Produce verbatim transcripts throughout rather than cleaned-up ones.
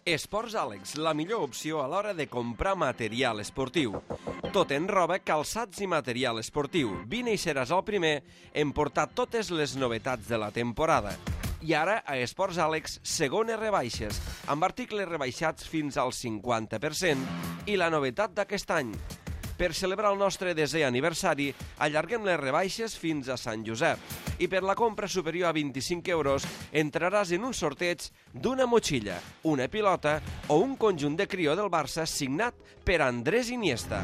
Esports Àlex, la millor opció a l'hora de comprar material esportiu. Tot en roba, calçats i material esportiu. Vine i seràs el primer en portar totes les novetats de la temporada. I ara, a Esports Àlex, segones rebaixes, amb articles rebaixats fins al cinquanta per cent. I la novetat d'aquest any. Per celebrar el nostre desè aniversari, allarguem les rebaixes fins a Sant Josep. I per la compra superior a vint-i-cinc euros, entraràs en un sorteig d'una motxilla, una pilota o un conjunt de crió del Barça signat per Andrés Iniesta.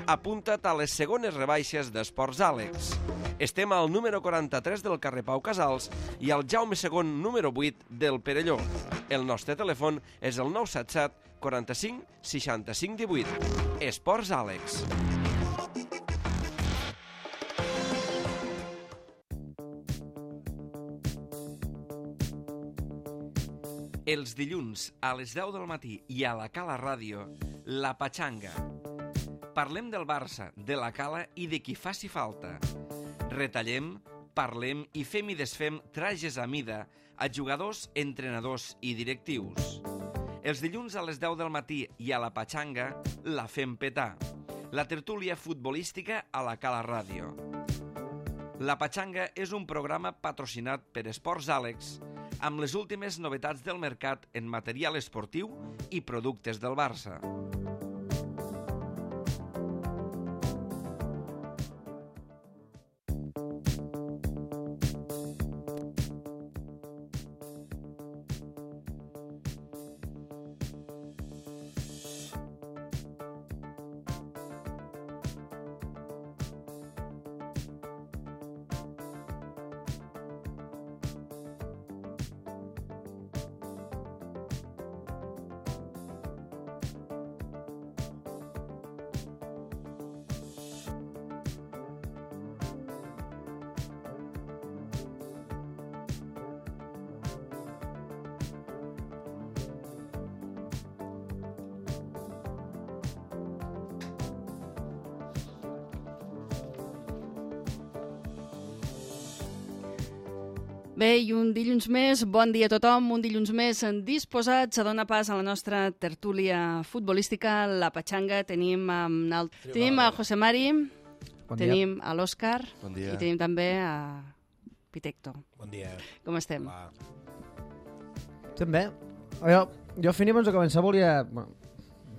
Apunta't a les segones rebaixes d'Esports Àlex. Estem al número quaranta-tres del carrer Pau Casals i al Jaume segon número vuit del Perelló. El nostre telèfon és el nou set set quaranta-cinc seixanta-cinc divuit. Esports Àlex. Els dilluns a les deu del matí i a la Cala Ràdio, La Patxanga. Parlem del Barça, de la Cala i de qui faci falta. Retallem, parlem i fem i desfem trajes a mida a jugadors, entrenadors i directius. Els dilluns a les deu del matí i a la Patxanga la fem petar. La tertúlia futbolística a la Cala Ràdio. La Patxanga és un programa patrocinat per Esports Àlex amb les últimes novetats del mercat en material esportiu i productes del Barça. Bé, i un dilluns més, bon dia a tothom, un dilluns més disposats a donar pas a la nostra tertúlia futbolística, la Patxanga. Tenim, um, el... tenim a José Mari, bon tenim a l'Òscar bon i tenim també a Pitecto. Bon dia. Com estem? Va. Estem bé. Jo, jo Fini, abans de començar volia... Bueno,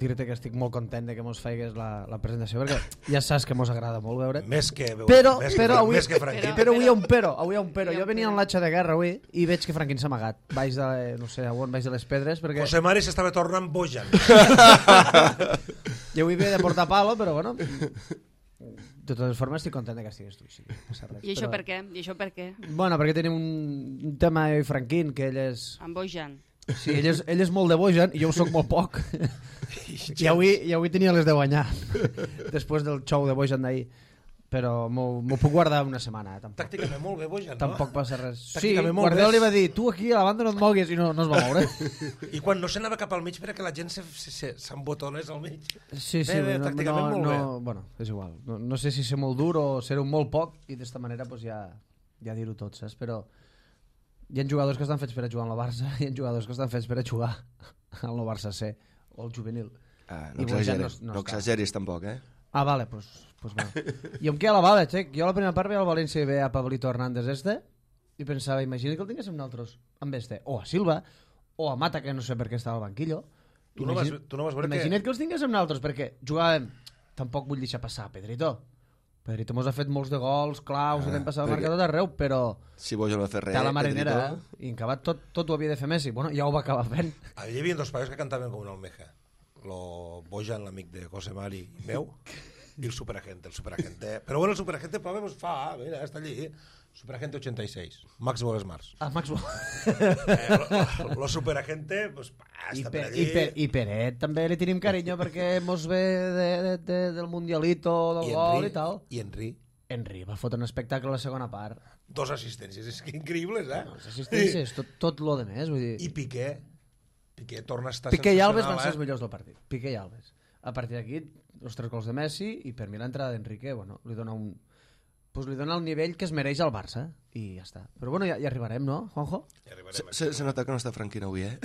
dir-te que estic molt content de que mos faigues la, la presentació, perquè ja saps que mos agrada molt veure. Més que veure, però, més però, que, avui, més que Franquín. però, però avui hi ha un però, avui hi ha un però. Jo venia en l'atxa de guerra avui i veig que Franquín s'ha amagat. Baix de, no sé, on, baix de les pedres, perquè... José Mari s'estava tornant bojan. Jo avui ve de portar palo, però bueno... De totes formes estic content que estigues tu. Sí, no res, I això però... per què? I això per què? Bueno, perquè tenim un, un tema jo i Franquín, que ell és... Amb Bojan. Sí, ell és, ell és molt de bojan i jo ho soc molt poc. I avui, i avui tenia les de guanyar després del show de bojan d'ahir, però m'ho puc guardar una setmana. Eh? Tampoc, Tàcticament molt bé bojan, no? tampoc passa res. Sí, Tàcticament molt Guardiola bé. li va dir, tu aquí a la banda no et moguis, i no, no es va moure. I quan no s'anava cap al mig perquè la gent s'embotonés al mig. Sí, sí, Bé, bé, no, tàcticament no, molt no, bé. bueno, és igual. No, no sé si ser molt dur o ser un molt poc, i d'esta manera pues, ja, ja dir-ho tot, saps? Però hi ha jugadors que estan fets per a jugar en el Barça i hi ha jugadors que estan fets per a jugar al nou Barça C o al juvenil. Ah, I no Bojan exageris, no- no no està. exageris tampoc, eh? Ah, vale, pues, pues bueno. I em queda la bala, xec. Jo a la primera part veia el València i veia a Pablito Hernández este i pensava, imagina que el tinguéssim nosaltres amb este, o a Silva, o a Mata, que no sé per què estava al banquillo. Tu no vas, tu no vas veure Imagina't que... que els tinguéssim nosaltres, perquè jugàvem... Tampoc vull deixar passar Pedrito. Pedrito mos ha fet molts de gols, claus, Ah, i l'hem passat a perquè- marcar tot arreu, però... Si Bojan no ha fet res, Té a la marinera, Pedrito. eh? I en acabat tot, tot ho havia de fer Messi. Bueno, ja ho va acabar fent. Hi havia dos pares que cantaven com una almeja. Lo Bojan, l'amic de José Mari i meu, i el superagente, el superagente. Però bueno, el superagente prova, pues fa, mira, està allí. Superagente ochenta y seis, Máximo Smart. Ah, Maxwell. Eh, lo, lo superagente, pues, pa, I, està per, per allí. i, per, I Peret també li tenim carinyo perquè mos ve de, de, de, del Mundialito, del I gol Henry, i tal. I Henry, Henry va fotre un espectacle a la segona part. dos assistències, és que increïbles, eh? No, les assistències, tot, tot lo de més. Vull dir... I Piqué, Piqué torna a estar Piqué i Alves van sensacional, ser els eh? millors del partit. Piqué i Alves. A partir d'aquí, els tres gols de Messi i per mi l'entrada d'Enrique, bueno, li dona un, pues li dona el nivell que es mereix al Barça i ja està. Però bueno, ja, ja arribarem, no, Juanjo? Ja Se, se, se nota que no està Franquino avui, eh?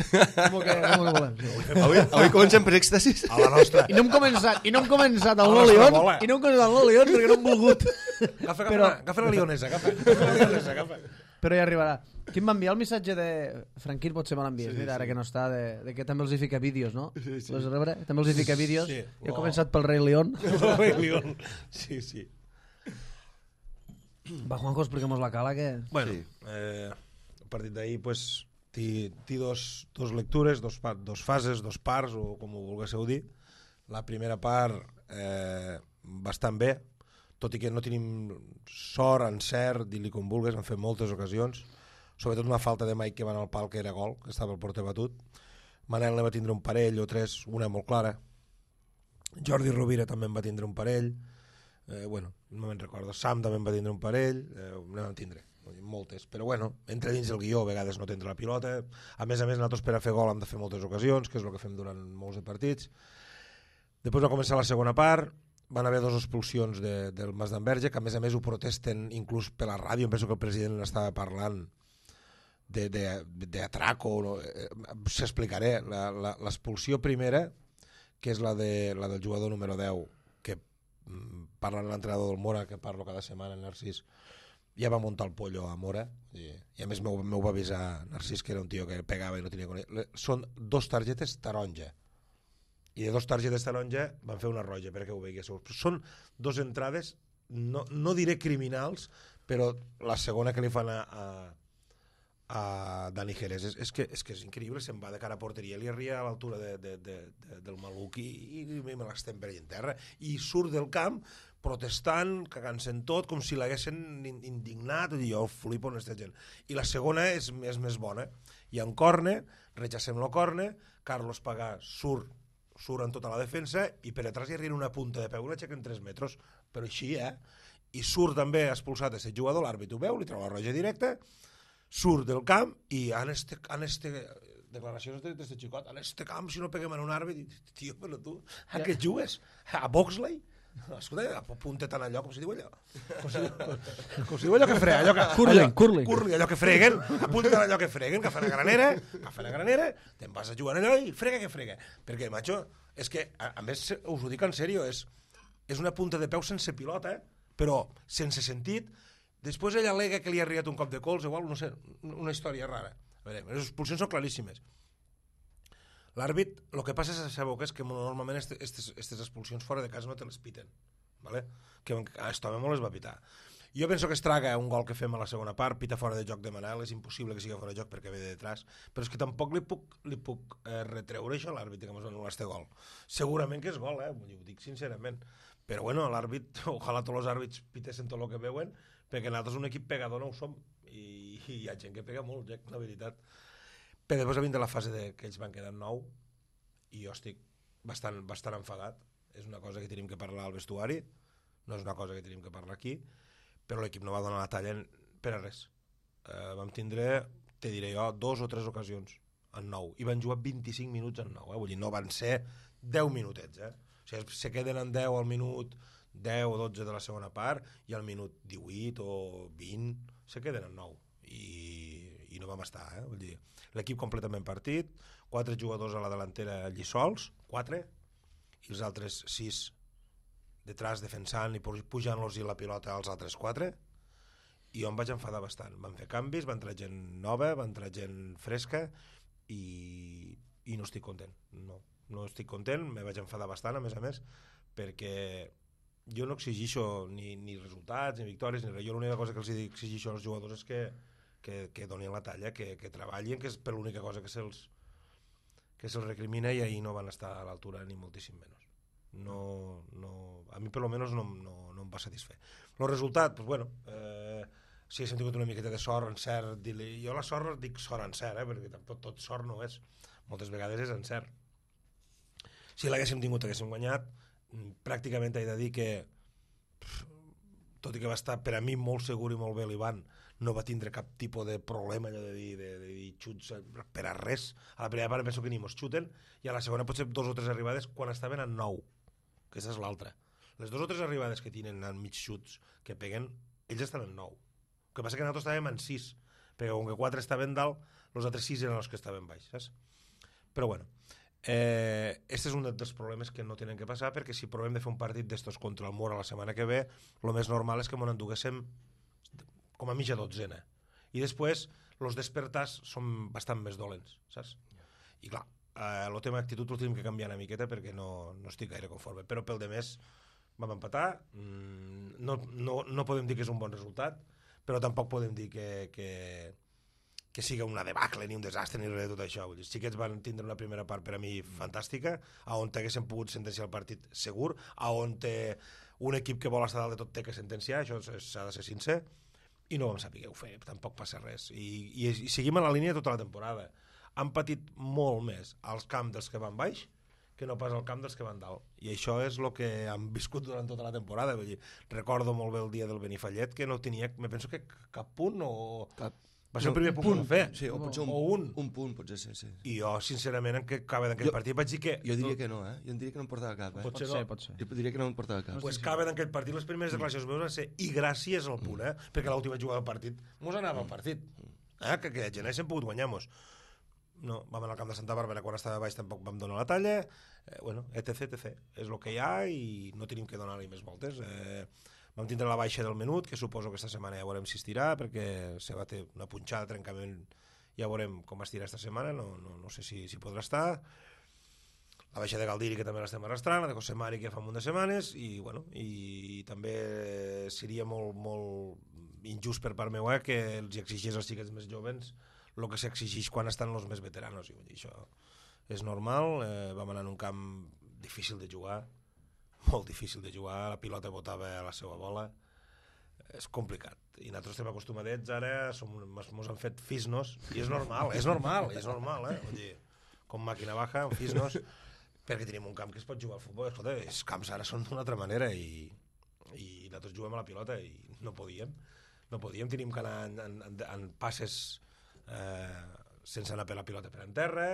Com que, com que volem? Avui, avui comencem per èxtasis. A la nostra. I no hem començat, i no hem començat el A la No nostra León, bola. i no hem començat el No León perquè no hem volgut. Agafa, agafa, Però- la, agafa la lionesa, agafa. agafa la lionesa, agafa. Però ja arribarà. Qui em va enviar el missatge de... Franquín potser me l'envies, Sí, mira, ara sí. que no està, de, de que també els hi fica vídeos, no? Sí, sí. L'has de rebre? També els hi fica vídeos. Sí. Jo he Oh. començat pel Rei León. El Rei León. Sí, sí. Va, Juanjo, expliquemos la cala, que... Bueno, Sí. eh, el partit d'ahir pues, té, té dos, dos lectures, dos, pa- dos fases, dos parts, o com ho volguéssiu dir. La primera part eh, bastant bé, tot i que no tenim sort, encert, dir-li com vulgues, han fet moltes ocasions, sobretot una falta de Mike que va anar al pal, que era gol, que estava al porter batut. Manel ne va tindre un parell o tres, una molt clara. Jordi Rovira també en va tindre un parell. Eh, bueno, no me'n recordo. Sam també en va tindre un parell. Eh, ne vam tindre moltes. Però bueno, entre dins del guió a vegades no tindre la pilota. A més a més, nosaltres per a fer gol hem de fer moltes ocasions, que és el que fem durant molts de partits. Després va començar la segona part. Van haver dues expulsions de, del Mas d'Enverge, que a més a més ho protesten inclús per la ràdio. Em penso que el president estava parlant d'atraco. No? Eh, S'explicaré. L'expulsió primera, que és la, de, la del jugador número deu, que mm, parla l'entrenador del Mora, que parlo cada setmana, Narcís, ja va muntar el pollo a Mora, i, i a més m'ho m'ho va avisar Narcís, que era un tio que pegava i no tenia coneixement. Són dos targetes taronja, i de dos targetes taronja van fer una roja, perquè ho veiéssiu. Són dos entrades, no, no diré criminals, però la segona que li fan a, a a Dani Jerez, és, és, que, és que és increïble, se'n va de cara a porteria, li arria a l'altura de, de, de, de, del maluc i, i, i me l'estem per allà en terra, i surt del camp protestant, cagant-se en tot, com si l'haguessin indignat, i jo flipo en aquesta gent. I la segona és, és més bona, hi ha un corne, rechacem el corne, Carlos Pagà surt, surt en tota la defensa, i per atrás hi arriba una punta de peu, una aixeca en tres metres, però així, eh? I surt també expulsat aquest jugador, l'àrbit ho veu, li treu la roja directa, surt del camp i en este, en este declaracions d'aquest xicot, en este camp si no peguem en un àrbit, tio, però tu a què jugues? A Boxley? Escolta, apunta tant allò, com si diu allò com si, com si diu allò que frega allò que, Curling, allò, curling. curling, allò que freguen, apunta tant allò que freguen, que fan a granera, que fan a granera, te'n vas a jugar allò i frega que frega, perquè, macho, és que a, a més us ho dic en sèrio, és, és una punta de peu sense pilota, però sense sentit. Després ell al·lega que li ha arribat un cop de cols, igual, no sé, una història rara. A veure, les expulsions són claríssimes. L'àrbit, el que passa és, sabeu que és que normalment aquestes expulsions fora de casa no te les piten, ¿vale? Que a aquest home molt les va pitar. Jo penso que es traga un gol que fem a la segona part, pita fora de joc de Manel, és impossible que sigui fora de joc perquè ve de detrás, però és que tampoc li puc, li puc eh, retreure això a l'àrbit que ens va anul·lar este gol. Segurament que és gol, eh? Ho dic sincerament. Però bueno, l'àrbit, ojalà tots els àrbits pitessin tot el que veuen, perquè nosaltres un equip pegador no ho som, i, i hi ha gent que pega molt, Jack, la veritat. Però després ha vingut la fase de que ells van quedar nou, i jo estic bastant, bastant enfadat. És una cosa que tenim que parlar al vestuari, no és una cosa que tenim que parlar aquí, però l'equip no va donar la talla per a res. Eh, vam tindre, te diré jo, dos o tres ocasions en nou, i van jugar vint-i-cinc minuts en nou, eh? Vull dir, no van ser deu minutets, eh? O sigui, se queden en deu al minut deu o dotze de la segona part, i al minut divuit o vint se queden en nou, i, i no vam estar, eh? Vull dir, l'equip completament partit, quatre jugadors a la delantera allí sols, quatre, i els altres sis detrás defensant i pujant-los la pilota als altres quatre, i jo em vaig enfadar bastant. Van fer canvis, va entrar gent nova, va entrar gent fresca, i, i no estic content, no, no estic content, me vaig enfadar bastant, a més a més, perquè jo no exigixo ni, ni resultats, ni victòries, ni res. Jo l'única cosa que els exigixo als jugadors és que, que, que donin la talla, que, que treballin, que és per l'única cosa que se'ls que se'ls recrimina, i ahir no van estar a l'altura ni moltíssim menys. No, no, a mi per lo menos no, no, no em va satisfer. El resultat, pues bueno, eh, si haguéssim tingut una miqueta de sort, encert, jo la sort dic sort encert, eh, perquè tampoc tot sort no és, moltes vegades és encert. Si l'haguéssim tingut, haguéssim guanyat, pràcticament he de dir que, tot i que va estar per a mi molt segur i molt bé l'Ivan, no va tindre cap tipus de problema allò de dir, de, de dir xuts per a res. A la primera part penso que ni mos xuten, i a la segona potser dos o tres arribades quan estaven en nou, que aquesta és l'altra. Les dos o tres arribades que tenen en mig xuts que peguen, ells estaven en nou. El que passa que nosaltres estàvem en sis, perquè com que quatre estaven dalt, els altres sis eren els que estaven baix, saps? Però bueno, eh, este és un dels problemes que no tenen que passar, perquè si provem de fer un partit d'estos contra el Mora la setmana que ve, el més normal és que m'ho enduguéssim com a mitja dotzena. I després, els despertars són bastant més dolents, saps? I clar, eh, el tema d'actitud el tenim que canviar una miqueta perquè no, no estic gaire conforme, però pel de més vam empatar, mm, no, no, no podem dir que és un bon resultat, però tampoc podem dir que, que, que siga una debacle ni un desastre ni res de tot això. Vull dir, sí que van tindre una primera part per a mi fantàstica, on haguéssim pogut sentenciar el partit segur, on un equip que vol estar dalt de tot té que sentenciar, això s'ha de ser sincer, i no vam saber fer, tampoc passa res. I, i, i seguim a la línia tota la temporada. Han patit molt més als camps dels que van baix que no pas al camp dels que van dalt. I això és el que han viscut durant tota la temporada. Vull dir, recordo molt bé el dia del Benifallet, que no tenia, me penso que cap punt o... Cap. Va ser el primer punt que va fer. Sí, o potser un, o un. un punt, potser sí, sí. I jo, sincerament, en què acaba d'aquell partit vaig dir que... Jo diria que no, eh? Jo diria que no em portava cap, eh? Pot ser, pot ser. Jo diria que no em portava cap. Pues acaba d'aquell partit, les primeres declaracions meves van ser i gràcies al punt, eh? Perquè l'última jugada del partit mos anava al partit. Eh? Que, que gent hem pogut guanyar-mos. No, vam anar al camp de Santa Bàrbara quan estava baix, tampoc vam donar la talla, eh, bueno, etc, etc. És el que hi ha i no tenim que donar-li més voltes. Eh, vam tindre la baixa del Menut, que suposo que esta setmana ja veurem si estirà, perquè se va ter una punxada, trencament, ja veurem com estirà esta setmana, no, no, no sé si, si podrà estar. La baixa de Galdiri, que també l'estem arrastrant, la de Cosemari, que fa un munt de setmanes, i, bueno, i, i també seria molt, molt injust per part meva que els exigís als xiquets més jovens el que s'exigeix quan estan els més veteranos. I vull dir, això és normal. Eh, vam anar en un camp difícil de jugar, molt difícil de jugar, la pilota botava a la seva bola, és complicat. I nosaltres estem acostumats ara, som, mos han fet fisnos, i és normal, és normal, és normal, eh? Vull dir, com màquina baja, fisnos, perquè tenim un camp que es pot jugar al futbol. Escolta, els camps ara són d'una altra manera i, i nosaltres juguem a la pilota i no podíem. No podíem, tenim que anar en, en, en passes Eh, sense anar per la pilota per en terra,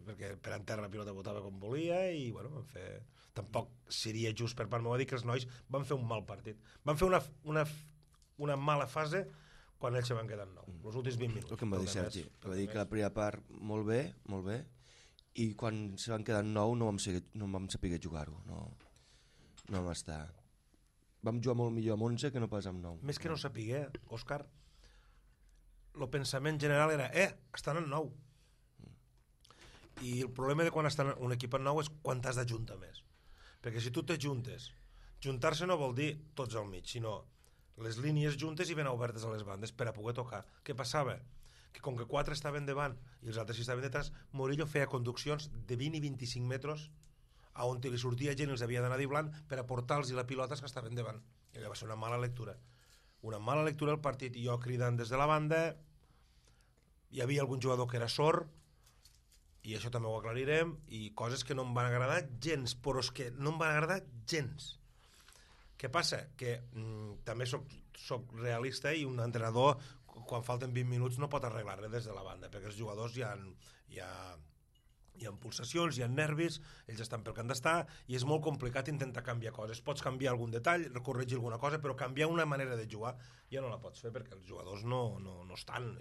perquè per en terra la pilota botava com volia i bueno, vam fer... tampoc seria just per part meva dir que els nois van fer un mal partit, van fer una, una, una mala fase quan ells se van quedar en nou, els últims vint minuts. El que em va dir Sergi, que va dir que la primera part molt bé, molt bé, i quan se van quedar en nou no vam, saber, no vam saber jugar-ho, no, no vam estar. Vam jugar molt millor amb onze que no pas amb nou. Més que no sapiguer, Òscar, el pensament general era, eh, estan en nou. I el problema de quan estan un equip en nou és quan t'has d'ajuntar més. Perquè si tu t'ajuntes, juntar-se no vol dir tots al mig, sinó les línies juntes i ben obertes a les bandes per a poder tocar. Què passava? Que com que quatre estaven davant i els altres estaven detrás, Morillo feia conduccions de vint i vint-i-cinc metres a on li sortia gent i els havia d'anar diblant per aportar-los la pilotes que estaven davant. I va ser una mala lectura. Una mala lectura del partit, i jo cridant des de la banda, hi havia algun jugador que era sord, i això també ho aclarirem, i coses que no em van agradar gens, però és que no em van agradar gens. Què passa? Que mm, també soc, soc realista i un entrenador, quan falten vint minuts, no pot arreglar res des de la banda, perquè els jugadors hi ha, hi ha, hi ha pulsacions, hi ha nervis, ells estan pel que han d'estar, i és molt complicat intentar canviar coses. Pots canviar algun detall, corregir alguna cosa, però canviar una manera de jugar ja no la pots fer, perquè els jugadors no, no, no estan.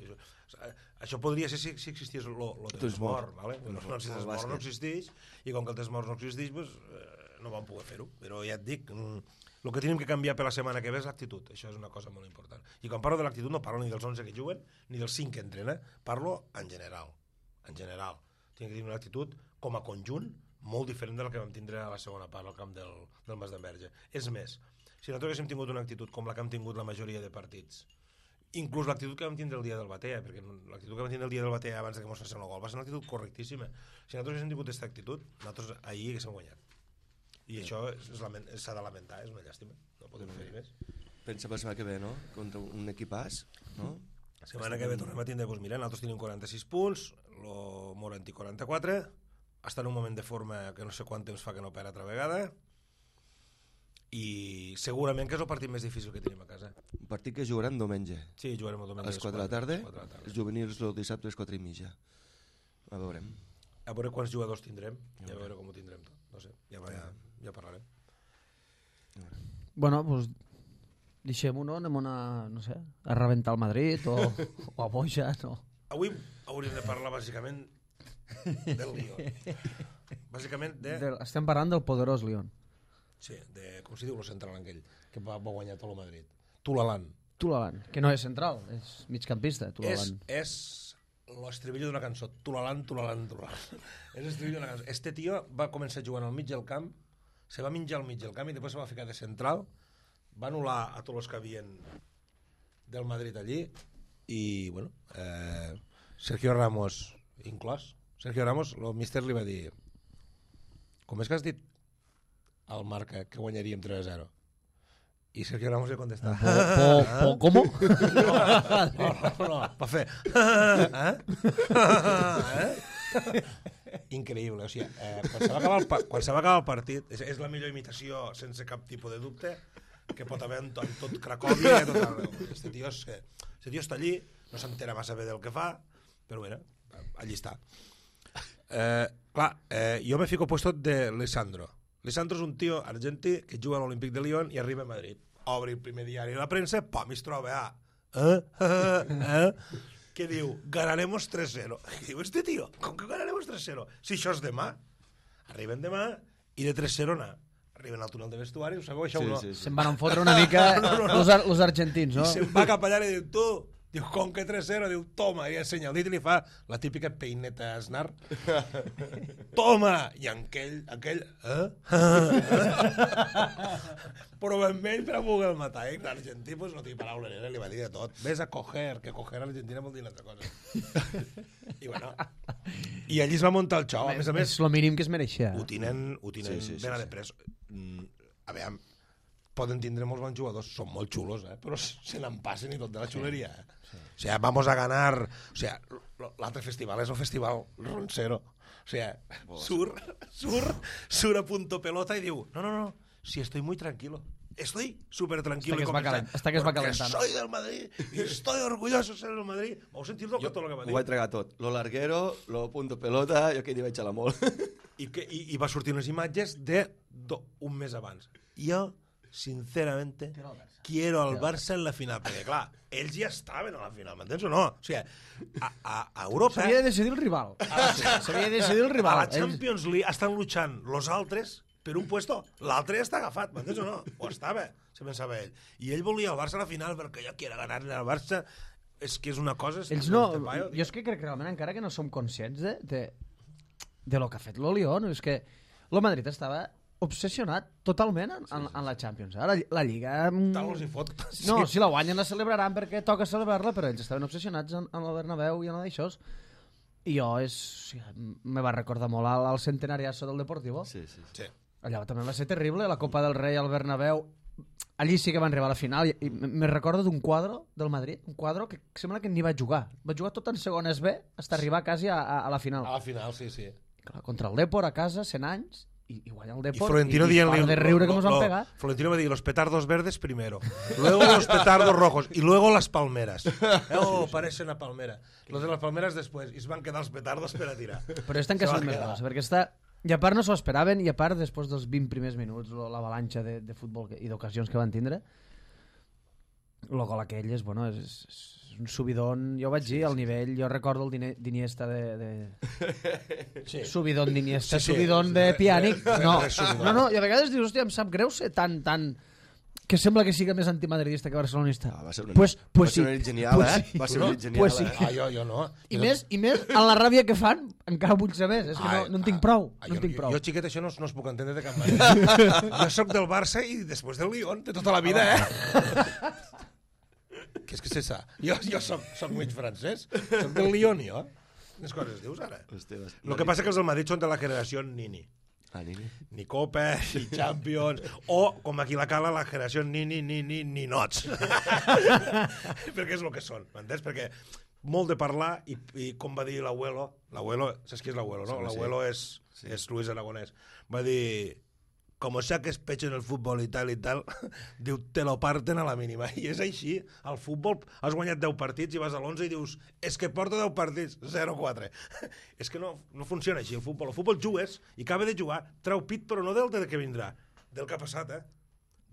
Això podria ser si, si existís el desmort, ¿vale? No, no, si el desmort no existeix, i com que el desmort no existeix, pues, eh, no vam poder fer-ho. Però ja et dic, el que tenim que canviar per la setmana que ve és l'actitud. Això és una cosa molt important. I quan parlo de l'actitud no parlo ni dels onze que juguen, ni dels cinc que entrenen, parlo en general. En general. Tinc que tenir una actitud com a conjunt molt diferent de la que vam tindre a la segona part al camp del, del Mas d'Enverge. És més, si nosaltres haguéssim tingut una actitud com la que hem tingut la majoria de partits, inclús l'actitud que vam tindre el dia del Batea, perquè l'actitud que vam tindre el dia del Batea abans que ens fessin el gol va ser una actitud correctíssima. Si nosaltres haguéssim tingut aquesta actitud, nosaltres ahir haguéssim guanyat. I això s'ha de lamentar, és una llàstima, no podem fer-hi més. Pensa per la setmana que ve, no? Contra un equipàs, no? La setmana que ve tornem a tindre, doncs mira, nosaltres tenim quaranta-sis punts, el Morant i quaranta-quatre, està en un moment de forma que no sé quant temps fa que no perd altra vegada, i segurament que és el partit més difícil que tenim a casa. Un partit que jugaran diumenge. Sí, jugarem el diumenge. A les quatre de la tarda, els juvenils el dissabte a les quatre i mitja. A veurem. A veure quants jugadors tindrem, i a veure com ho tindrem tot. No sé, ja, ja, ja parlarem. Bueno, doncs deixem-ho, no? Anem a, no sé, a rebentar el Madrid o, o a Boja, no? Avui hauríem de parlar bàsicament del Lyon. Bàsicament de... Del, estem parlant del poderós Lyon. Sí, de, com si diu el central aquell, que va, va guanyar tot el Madrid. Tulalan. Tulalan, que no és central, és migcampista, És, Tulalan. és l'estribillo d'una cançó. Tulalan, Tulalan, Tulalan. És l'estribillo d'una cançó. Este tio va començar jugant al mig del camp, se va menjar al mig del camp i després se va ficar de central, va anul·lar a tots els que havien del Madrid allí i, bueno, eh, Sergio Ramos inclòs. Sergio Ramos, el míster li va dir: com és que has dit al Marca que guanyaríem tres a zero? I Sergio Ramos li contesta: Po, po, po, ¿cómo? no, no, no, va fer eh? eh? Increïble, o sigui, eh, quan, se va acabar el, quan se va acabar el partit, és, és la millor imitació sense cap tipus de dubte que pot haver en, to, en tot Cracòvia i tot arreu. Este tio, és, este tio està allí, no s'entera massa bé del que fa, però bueno, allí està. Eh, clar, eh, jo me fico puesto de Lisandro. Lisandro és un tio argentí que juga a l'Olímpic de Lyon i arriba a Madrid. Obre el primer diari de la premsa, pam, i es troba a... Eh? Eh? Eh? Que diu, ganaremos tres cero. I diu, este tio, com que ganaremos tres cero? Si això és demà. Arriben demà i de tres cero anar. Arriben al túnel de vestuari, ho sabeu, això Sí, o no? sí, sí. Se'n van fotre una mica No, no, no. Los, ar los argentins, no? I se'n va cap allà i diu, tu, diu, com que tres cero? Diu, toma, i ensenya el dit i li fa la típica peineta esnar. Toma! I aquell, aquell, eh? Però ben vell per a poder matar, eh? L'argentí, pues, no té paraula, eh? Li va dir de tot. Ves a coger, que coger a l'Argentina vol dir una altra cosa. I bueno, i allí es va muntar el xou. A més a més, És el mínim que es mereixia. ho tenen, ho tenen Sí, sí, sí, ben sí. a de pres. Mm, a veure, poden tindre molts bons jugadors, són molt xulos, eh? Però se n'en passen i tot de la xuleria. Eh? Sí. O sea, vamos a ganar... O sea, l'altre festival és el festival Roncero. O sea, sur, sur, sur a punto pelota i diu, no, no, no, si estoy muy tranquilo. Estoy súper tranquilo. Hasta que es va calent- hasta que es va calentant. Porque soy del Madrid y estoy orgulloso de ser del Madrid. Vau sentir-lo Jo tot el que va ho dir? vaig tragar tot. Lo larguero, lo punto pelota, jo que hi vaig xalar molt. I, que, i, i va sortir unes imatges de do, un mes abans. Jo, sinceramente, quiero al Barça en la final. Perquè, clar, ells ja estaven a la final, m'entens o no? O sigui, a, a, a Europa... S'havia de decidir el rival. S'havia de decidir el A rival. la Champions League estan luchant los altres per un puesto, l'altre ja està agafat, m'entens o no? O estava, se pensava ell. I ell volia el Barça a la final perquè jo quiero ganarle al Barça. És que és una cosa... És Ells no... este paio, Jo és que crec que realment encara que no som conscients de, de, de lo que ha fet l'Olión, és que el Madrid estava obsessionat totalment en, en, en la Champions. Ara la, la Lliga... mm, Tal els hi fot. No, si la guanyen la celebraran perquè toca celebrar-la, però ells estaven obsessionats en, en el Bernabéu i en d'això. I jo és... O sigui, me va recordar molt al, al centenariazo del Deportivo. Sí, sí, sí. Sí. Allà també va ser terrible, la Copa del Rei al Bernabéu. Allí sí que van arribar a la final i, i me recordo d'un quadro del Madrid, un quadro que sembla que ni va jugar. Va jugar tot en segones B fins arribar quasi a, a, a la final. A la final, sí, sí. Clar, contra el Depor a casa, cent anys, i, i guanya el Y Depor. Florentino i, i dient-li... para de riure que lo- nos van lo- pegar. Florentino va dir, los petardos verdes primero, luego los petardos rojos, y luego las palmeras. Eh, oh, parece una palmera. Los de las palmeras después, i es van quedar els petardos per a tirar. Però estan que Se va són més quedar. gros, perquè està... I a part no s'ho esperaven, i a part després dels vint primers minuts, lo- l'avalanxa de, de futbol que, i d'ocasions que van tindre, el gol aquell és, bueno, és, és un subidon, jo ho vaig dir, al nivell, jo recordo el Dine- d'Iniesta de... de... Sí. Subidon d'Iniesta, Sí, sí. subidon de Re- Pianic. re- No, re- subidon. no, no, i a vegades dius, hòstia, em sap greu ser tan, tan... que sembla que siga més antimadridista que barcelonista. Ah, va ser una, pues, pues va ser sí. una nit genial, Pues eh? sí. Va ser una nit genial, Pues sí. eh? Ah, jo, jo no. I més, i més, en la ràbia que fan, encara vull ser més. És que no, no en tinc prou. Ah, No jo, en tinc prou. Jo, xiquet, això no, no es puc entendre de cap manera. Jo sóc del Barça i després del Lyon, de tota la vida, eh? Què és que és ça? Jo, jo soc, soc mig francès, soc del Lyon, jo. Quines coses dius, ara? Hòstia, vas- El que passa que els del Madrid són de la generació Nini. Ah, Nini. Ni Copa, ni Champions, o, com aquí la cala, la generació ni, ni, ni, ni, ni nots. Perquè és el que són, m'entens? Perquè molt de parlar, i, i com va dir l'abuelo, l'abuelo, saps qui és l'abuelo, no? Sí, sí. L'abuelo és, Sí. és Luis Aragonès. Va dir, como saques pecho en el fútbol i tal i tal, diu, te lo parten a la mínima. I és així, al futbol has guanyat deu partits i vas a l'onze i dius, és que porto deu partits, zero quatre. És que no, no funciona així el futbol. El futbol jugues i acaba de jugar, treu pit, però no del de que vindrà, del que ha passat, eh?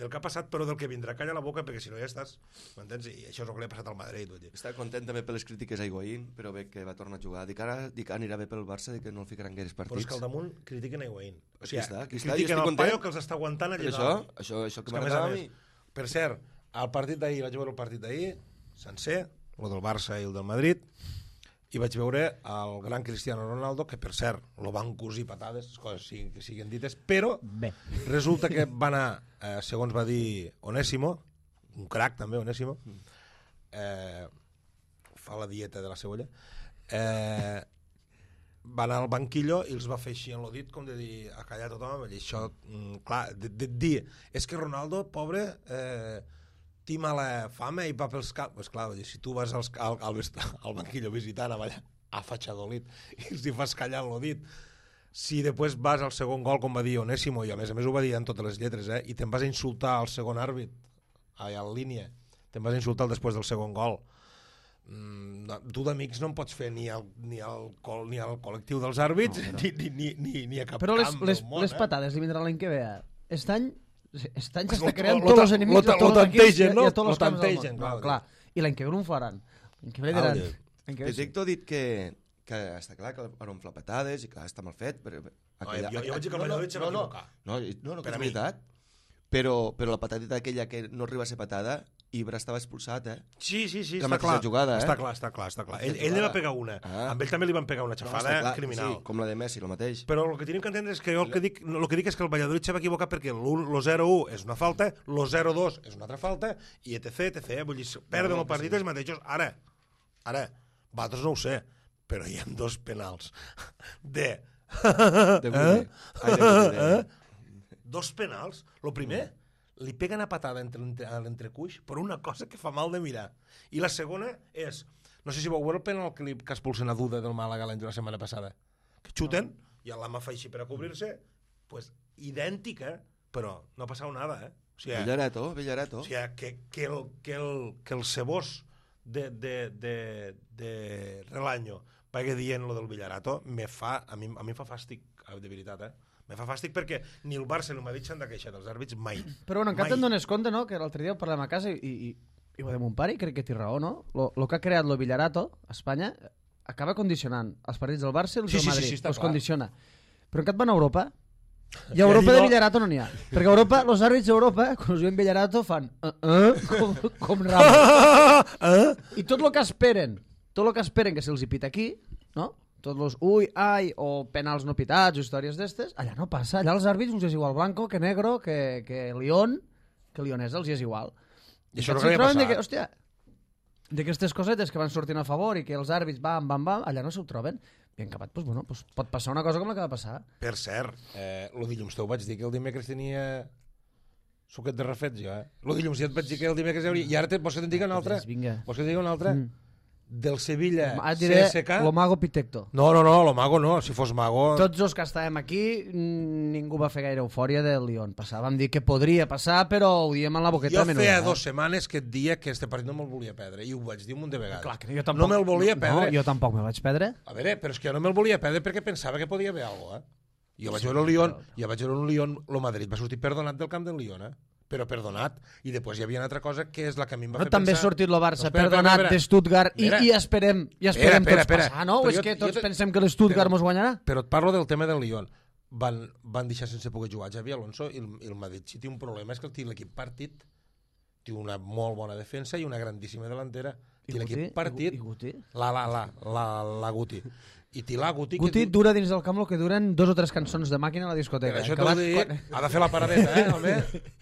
del que ha passat, però del que vindrà. Calla la boca, perquè si no ja estàs... M'entens? I això és el que li ha passat al Madrid. Vull dir. Està content també per les crítiques a Higuaín, però bé que va tornar a jugar. Dic ara dic, anirà bé pel Barça, dic que no el ficaran gaires partits. Però és que al damunt critiquen a Higuaín. O sigui, aquí està, aquí està, critiquen el content. paio que els està aguantant allà això, dalt. això, això que, que m'agradava a mi. Per cert, al partit d'ahir, vaig veure el partit d'ahir, sencer, el del Barça i el del Madrid, i vaig veure el gran Cristiano Ronaldo, que per cert, lo van cosir patades, coses siguin, que siguin dites, però Bé. resulta que va anar, eh, segons va dir Onésimo, un crac també, Onésimo, eh, fa la dieta de la cebolla, eh, va anar al banquillo i els va fer així en el dit, com de dir, a callar tothom, i això, mm, clar, de, de dir, és que Ronaldo, pobre, eh, té mala fama i va pels camps. Pues clar, dir, si tu vas als, al, al, al banquillo visitant allà a Fachadolid i els hi fas callar el dit, si després vas al segon gol, com va dir Onésimo, i a més a més ho va dir en totes les lletres, eh, i te'n vas a insultar al segon àrbit, allà en línia, te'n vas a insultar després del segon gol, mm, tu d'amics no en pots fer ni al, ni al, ni al col·lectiu dels àrbits, no, però... ni, ni, ni, ni a cap però les, camp les, del món. les eh? patades li vindran l'any que ve. Aquest any Estan ja Lo- està creant lo- tots lo- els enemics lo- de tots lo els equips i, tantegen, no? i a tots Lo els camps del món. tantegen, No, clar. clar. I l'any que ve no ho faran. L'any que ve Ah, diran... Déu. l'any que ve sí. Petecto ha dit que, que està clar que van omflar patades i que està mal fet. Però, Aquella, jo, jo vaig dir que el no, no, Valladolid se va no, no, equivocar. no, no, no, Per que a és mi. veritat. Però, però la patadita aquella que no arriba a ser patada, Ibra estava expulsat, eh? Sí, sí, sí, La està mateixa clar. jugada, eh? Està clar, està clar, està clar. Ell, mateixa ell li va jugada. pegar una. Ah. Amb ell també li van pegar una No, xafada està clar, criminal. Sí, com la de Messi, el mateix. Però el que tenim que entendre és que jo el que dic, el que dic és que el Valladolid se va equivocar perquè el zero u és una falta, el zero dos és una altra falta, i etc, etc. Vull dir, perden No, no, el partit sí. els mateixos. Ara, ara, vosaltres no ho sé, però hi ha dos penals de... De Gude. Ai, de Gude. Eh? Dos penals. Lo primer, li pega una patada entre, entre, a l'entrecuix per una cosa que fa mal de mirar. I la segona és, no sé si vau veure el penal que, li, que expulsen a Duda del Màlaga l'any de la setmana passada, que xuten no. i l'ama fa així per a cobrir-se, pues idèntica, però no ha passat nada, eh? O sigui, Villareto, Villareto. o sigui que, que, el, que, el, que el cebós de, de, de, de Relaño vagi dient lo del Villarato, me fa, a, mi, a mi em fa fàstic, de veritat, eh? Me fa fàstic perquè ni el Barça ni el Madrid s'han de queixar dels àrbits mai. Però bueno, encara Mai. te'n dones compte, no?, que l'altre dia ho parlem a casa i, i, i ho de mon pare, i crec que té raó, no? Lo, lo que ha creat lo Villarato a Espanya acaba condicionant els partits del Barça i els Sí, del sí, sí, Madrid. sí, està els clar. condiciona. Però en cap van a Europa i a I Europa allí de no. Villarato no n'hi ha. Perquè a Europa, els àrbits d'Europa, quan us diuen Villarato, fan uh, uh, com, com Ramos. eh? I tot el que esperen, tot el que esperen que se'ls hi pita aquí, no? Tots els ui, ai, o penals no pitats, o històries d'estes, allà no passa. Allà els àrbits els és igual blanco que negro, que, que León, que Leonesa els és igual. I això no S'hi havia troben de passat. que, hòstia, d'aquestes cosetes que van sortint a favor i que els àrbits bam, bam, bam, allà no s'ho troben. I en acabat, doncs, bueno, doncs pot passar una cosa com la que va passar. Per cert, eh, el dilluns te ho vaig dir que el dimecres tenia suquet de refets, jo, eh? El dilluns ja et vaig dir que el dimecres hi hauria... I ara te, vols que te'n digui una altra? Doncs vinga. Vols que te'n digui una altra? Mm. Del Sevilla Ara et diré C S K? lo mago Pitecto. No, no, no, lo mago no. Si fos mago... Tots els que estàvem aquí, mm, ningú va fer gaire eufòria del Lyon. Passàvem dir que podria passar, però ho diem en la boqueta Jo de menuda. feia eh? dues setmanes que et dia que este partit no me'l volia perdre, i ho vaig dir un munt de vegades. Clar, que jo tampoc, no me'l volia perdre. No, jo tampoc me'l vaig perdre. A veure, però és que jo no me'l volia perdre perquè pensava que podia haver alguna cosa, eh? Jo vaig veure el Lyon, jo vaig veure el Lyon, el Madrid va sortir perdonat del camp del Lyon, eh? Però perdonat, i després hi havia una altra cosa que és la que a mi em va No, fer també ha pensar... sortit el Barça No, espera, perdonat espera, espera. de Stuttgart i, Espera. i esperem, i esperem Espera, espera, tots espera. passar, no? O Però és jo- que jo tots te- pensem que l'Stuttgart però- mos guanyarà? Però et parlo del tema del Lyon. Van, van deixar sense poder jugar Xavi Alonso i el, i el Madrid si té un problema és que té l'equip partit, té una molt bona defensa i una grandíssima delantera. I Té Guti? l'equip partit, I Guti? la, la, la, la, la Guti. I té la Guti, Guti que... du- dura dins del camp el que duren dos o tres cançons de màquina a la Per discoteca. això que t'ho van- dic, quan- ha de fer la paradeta, eh, home?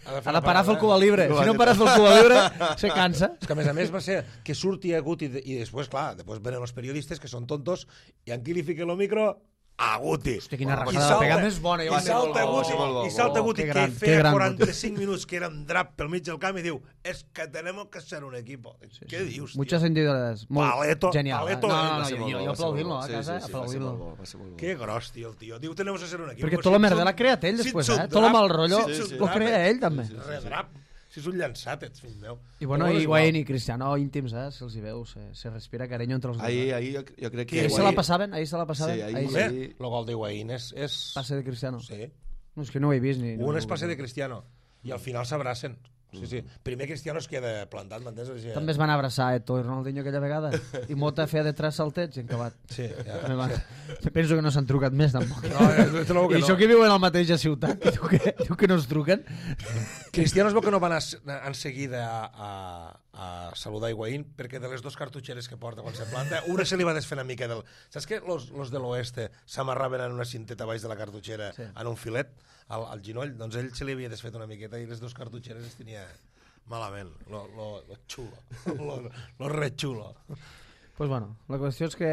Ha Ha de parar a fer el Cuba Libre. Si no pares fer el Cuba Libre, se cansa. És que a més a més va ser que surti a Guti i, i després, clar, després venen els periodistes que són tontos i en qui li fiquen el micro? A Guti. Hòstia, quina I rajada de salta- pegar més bona. jo I em salta recordo. Guti, molt bo, i salta bo. Guti Que que gran, que feia gran, quaranta-cinc minuts que era un drap pel mig del camp i diu, és que tenemos que ser un equipo. Què dius, tio? Muchas sentidoras. Molt Paleto- genial. paleto, eh? No, eh, no, va no, ser jo, molt jo, bo, jo va ser molt aplaudim-lo bo. a Sí, casa, sí, sí, va ser aplaudim-lo. molt bo, va ser molt bo. Que gros, tio, el tio. Diu, tenemos que ser un equip. Perquè Pues tot la si merda ets un- l'ha creat ell si després, ets un eh? Tot el drap, mal rotllo si ets un lo drap, crea eh? ell, també. Redrap. Si és un llançat, ets fill meu. I bueno, Però i és Higuaín igual. i Cristiano íntims, eh? Se'ls hi veu, se, se respira carinyo entre els dos. Ahir, eh? ahir jo, jo crec Qui, que... Ahir se la passaven, ahir se la passaven. Sí, ahir ahir sí. Home, el gol d'Higuaín és... és... Passe de Cristiano. Sí. No, és que no ho he vist ni... Un és passe de Cristiano. i al final s'abracen. Sí, sí. Primer Cristiano es queda plantat, m'entens? Sí, També es van abraçar Eto'o i Ronaldinho aquella vegada. I Mota feia de tres saltets i encabat. Sí, ja. Van... Penso que no s'han trucat més, tampoc. No, jo trobo que I no. això que viuen al mateix ciutat, i tu que, tu que no es truquen. Cristiano es veu que no van en seguida a, a, a saludar Higuaín perquè de les dues cartutxeres que porta quan se planta, una se li va desfer una mica del... Saps que los, los de l'oeste s'amarraven en una cinteta baix de la cartutxera sí. en un filet al, al ginoll? Doncs ell se li havia desfet una miqueta i les dues cartutxeres es tenia malament. Lo, lo, lo xulo. Lo, lo re xulo. Pues bueno, la qüestió és que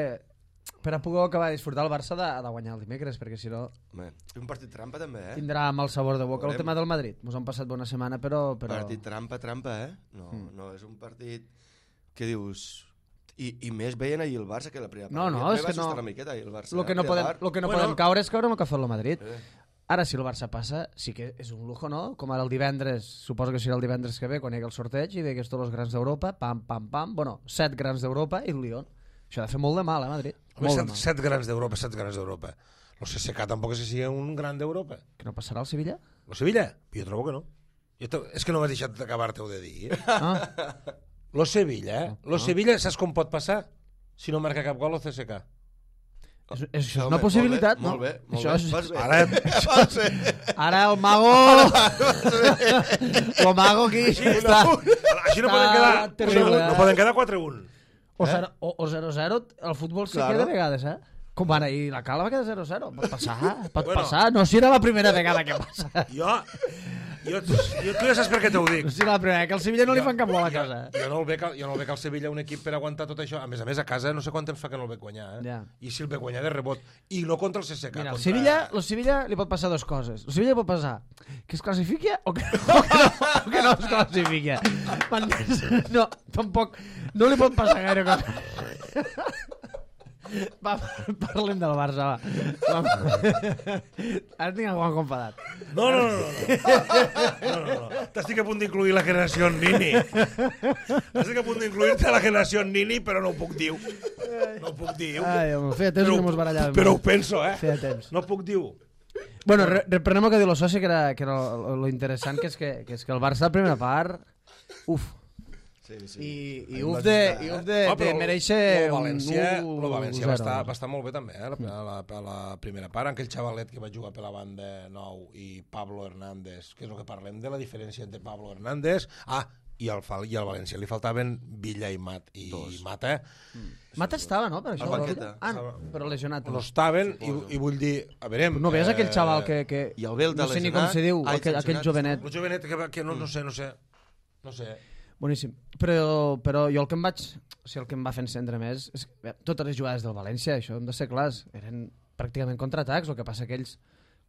per a poder acabar de disfrutar el Barça ha de guanyar el dimecres, perquè si no... Home, és un partit trampa també, eh? Tindrà mal sabor de boca. Veurem. El tema del Madrid. Ens han passat bona setmana, però... però... Partit trampa, trampa, eh? No, mm. no, és un partit que dius... I, i més veient ahir el Barça que la primera part. No, no, és que no... Una miqueta, ahir el Barça, lo que no podem, lo que no Bueno. podem caure és caure en el que ha fet el Madrid. Eh. Ara, si el Barça passa, sí que és un lujo, no? Com ara el divendres, suposo que serà el divendres que ve, quan hi hagi el sorteig, i veig tots els grans d'Europa, pam, pam, pam, bueno, set grans d'Europa i el Lyon. Això ha de fer molt de mal, eh, Madrid? Home, Molt de set, mal. set grans d'Europa, set grans d'Europa. El C S K tampoc és que sigui un gran d'Europa. Que no passarà al Sevilla? El Sevilla? Jo trobo que no. Jo te... És que no m'has deixat d'acabar-te-ho de dir. Eh? Ah, Lo Sevilla, eh? Lo Sevilla, saps com pot passar? Si no marca cap gol el C S K. és, és, això és Home, una possibilitat, molt bé, no? molt Això bé, és... molt bé. Ara, Vols bé. Ara el mago... el mago aquí està... així no poden quedar, terrible, no, no eh? poden quedar quatre un. O zero- o- o zero zero, el futbol sí Claro. queda a vegades, eh? Com van ahir, la Cala va quedar zero zero. Pot passar, pot Bueno. passar. No si era la primera vegada que passa. Jo, jo, jo, tu ja saps per què t'ho dic. No si era la primera, que al Sevilla no li Jo- fan cap gol a jo- casa. Jo no el veig, jo no el veig al Sevilla un equip per aguantar tot això. A més a més, a casa no sé quant temps fa que no el veig guanyar. Eh? Ja. I si el veig guanyar de rebot. I no contra el C S K. Mira, el contra... Sevilla, el Sevilla li pot passar dues coses. El Sevilla li pot passar que es classifiqui o que, o que, no, o que no es classifiqui. M'entens? No, tampoc... No li pot passar gaire cosa. Va, parlem del Barça, va. va. Ara tinc el Juan confadat. No, no, no, no. no, no, no. T'estic a punt d'incluir la generació Nini. Estic a punt d'incluir-te a la generació Nini, però no ho puc dir. No ho puc dir. Ai, home, feia temps que no mos barallàvem. Però ho penso, eh? Feia temps. No puc dir. Bueno, re reprenem el que diu el soci, que era, que era lo, lo interessant, que és que, que és que el Barça, la primera part, uf, Sí, sí. i, i Ahí uf vas de, estar, i eh? uf de, Ah, de però mereixer lo València, un lo València un va, zero. estar, va estar molt bé també, eh? a, la, a, la, a la primera part. Aquell xavalet que va jugar per la banda nou i Pablo Hernández, que és el que parlem de la diferència entre Pablo Hernández... Ah, i al, i al València li faltaven Villa i Mat. I Dos. Mata Mata estava, no? Per això, Al banqueta. Ah, no, però lesionat. no estaven i, i vull dir... A veure... No veies aquell xaval que... que I el Belda no sé ni com lesionat. se diu, Ai, aquell, aquell sancionat. jovenet. El jovenet que, va- que no, no sé, no sé. No sé. Boníssim. Però, però jo el que em vaig... O sigui, el que em va fer encendre més és que bé, totes les jugades del València, això hem de ser clars, eren pràcticament contraatacs, el que passa que ells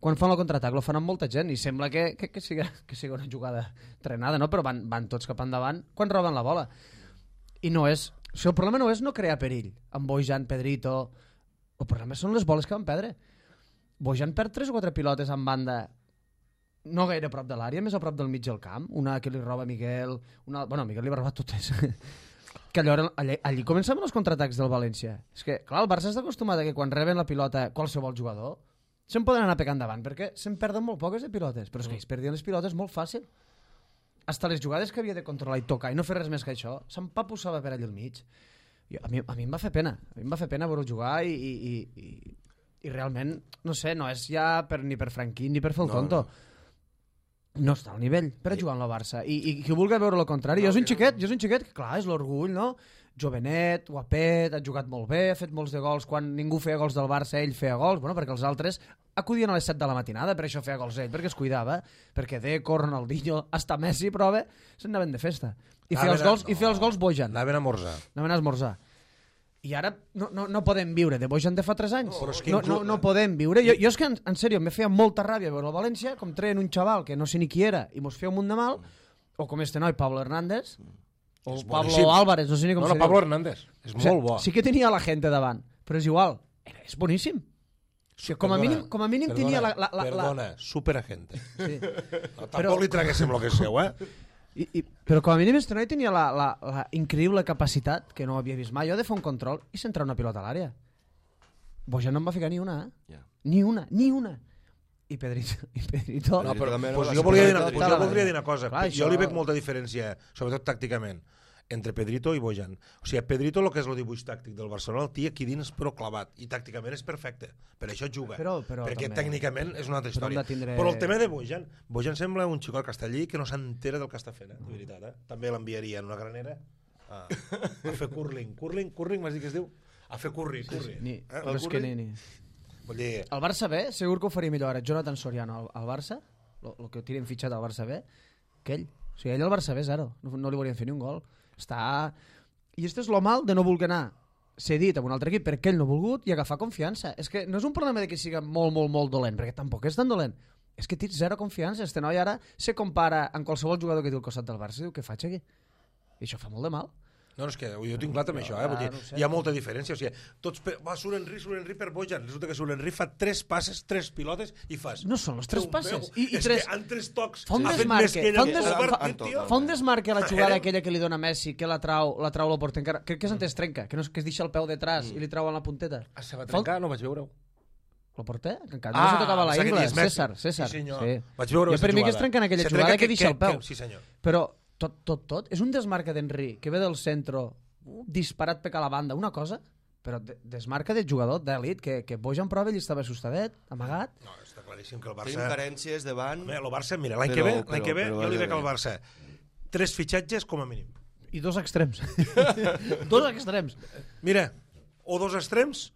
quan fan el contraatac lo fan amb molta gent i sembla que, que, que, sigui, que sigui una jugada trenada, no? Però van, van tots cap endavant quan roben la bola. I no és... O sigui, el problema no és no crear perill amb Bojan, Pedrito... El problema són les boles que van perdre. Bojan perd tres o quatre pilotes en banda no gaire a prop de l'àrea, més a prop del mig del camp. Una que li roba Miguel... Una... Bueno, Miguel li va robar totes. Que allò, allí, allí començaven els contraatacs del València. És que, clar, el Barça està acostumat a que quan reben la pilota qualsevol jugador se'n poden anar pecant davant, perquè se'n perden molt poques de pilotes. Però és que ells perdien les pilotes molt fàcil. Hasta les jugades que havia de controlar i tocar i no fer res més que això, s'empapussava per allà al mig. I a, mi, a mi em va fer pena. A mi em va fer pena veure jugar i, i, i, i, i realment, no sé, no és ja per, ni per Franquín ni per fer el No, tonto. No està al nivell per a jugar amb la Barça. I, i qui vulgui veure el contrari, No, jo és un que xiquet, jo és un xiquet que, clar, és l'orgull, no? Jovenet, guapet, ha jugat molt bé, ha fet molts de gols. Quan ningú feia gols del Barça, ell feia gols, bueno, perquè els altres acudien a les set de la matinada, per això feia gols ell, perquè es cuidava, perquè Deco, Ronaldinho, hasta Messi, prova, se'n anaven de festa. I feia els gols, i feia els gols Bojan. Anaven a morzar. Anaven a esmorzar. I ara no, no, no podem viure de Bojan de fa tres anys. Però és que No, no, inclú- no podem viure. Jo, jo és que, en, en sèrio, me feia molta ràbia veure el València, com treien un xaval que no sé ni qui era i mos feia un munt de mal, o com este noi, Pablo Hernández, o És Pablo boníssim. Álvarez, no sé ni com No, no, se Pablo diu. Hernández. És O sigui, molt bo. Sí que tenia la gent davant, però és igual. Era, és boníssim. O sigui, com a Perdona, mínim, com a mínim perdona, tenia la... la, la, Perdona, superagente. la sí. No, tampoc li traguéssim lo que és seu, eh? I, i, però com a mínim este noi tenia la, la, la increïble capacitat, que no havia vist mai, jo de fer un control i centrar una pilota a l'àrea. Bojan no em va ficar ni una, eh? Ja. Ni una, ni una. i Pedrito. I Pedrito. No, però També no, pues la jo, volia dir, segona una- pues jo volta- voldria dir una cosa. Clar, jo això- li veig molta diferència, sobretot tàcticament, entre Pedrito i Bojan. O sigui, Pedrito, el que és el dibuix tàctic del Barcelona, el té aquí dins però clavat, i tàcticament és perfecte, per això juga, Però- però perquè també- tècnicament és una altra però hem història. de tindre- Però el tema de Bojan, Bojan sembla un xicot castellí que no s'entera del que està fent, eh? De veritat, eh? També l'enviaria en una granera a, a fer curling. Curling, curling, m'has dit que es diu? A fer curri, curri. Ni, Eh? però El és que curling? ni, ni. Vull dir, El Barça B, segur que ho faria millor ara. Jonathan Soriano al, al Barça, el que tiren fitxat al Barça B, que ell. O sigui, ell al Barça B, zero. No, no li volien fer ni un gol. Està... I això és lo mal de no voler anar cedit amb un altre equip perquè ell no ha volgut i agafar confiança. És que no és un problema de que siga molt, molt, molt dolent, perquè tampoc és tan dolent. És que tens zero confiança. Este noi ara se compara amb qualsevol jugador que té al costat del Barça i diu, què faig aquí? I això fa molt de mal. no, no, és que jo tinc clar també això, eh? Vull dir, no ho sé. hi ha molta diferència, o sigui, tots per... va, surt Henry, surt Henry per Bojan, resulta que surt Henry fa tres passes, tres pilotes i fas... No són les tres Déu passes. meu, I, i és tres... que en tres tocs Fa un ha fet desmarque, més que ella fa un en tot des- el fa- partit, tio. Fa un desmarque a la jugada Era- aquella que li dona Messi, que la trau, la trau la porta encara... Crec que és antes trenca, que, no, és- que es deixa el peu detrás i li trauen la punteta. Ah, se va Fa un- trencar? No vaig veure-ho. La porter? Que encara no se tocava la pensava que ingla. dius Messi. César, César. Sí, senyor. Sí. Vaig veure Jo per mi que es jugada. trenca en aquella Se jugada trenca que deixa el peu. que- Sí, senyor. Però tot, tot, tot, és un desmarque d'Henry, que ve del centre, uh, disparat per la banda, una cosa, però de, desmarca de jugador d'elit, que, que Bojan prova ell estava assustadet, amagat. No, està claríssim que el Tenim Barça... carències davant... Home, el Barça, mira, l'any Però- que ve, però- l'any que ve però jo li vaja veig al bé. Barça tres fitxatges com a mínim. I dos extrems. dos extrems. Mira, o dos extrems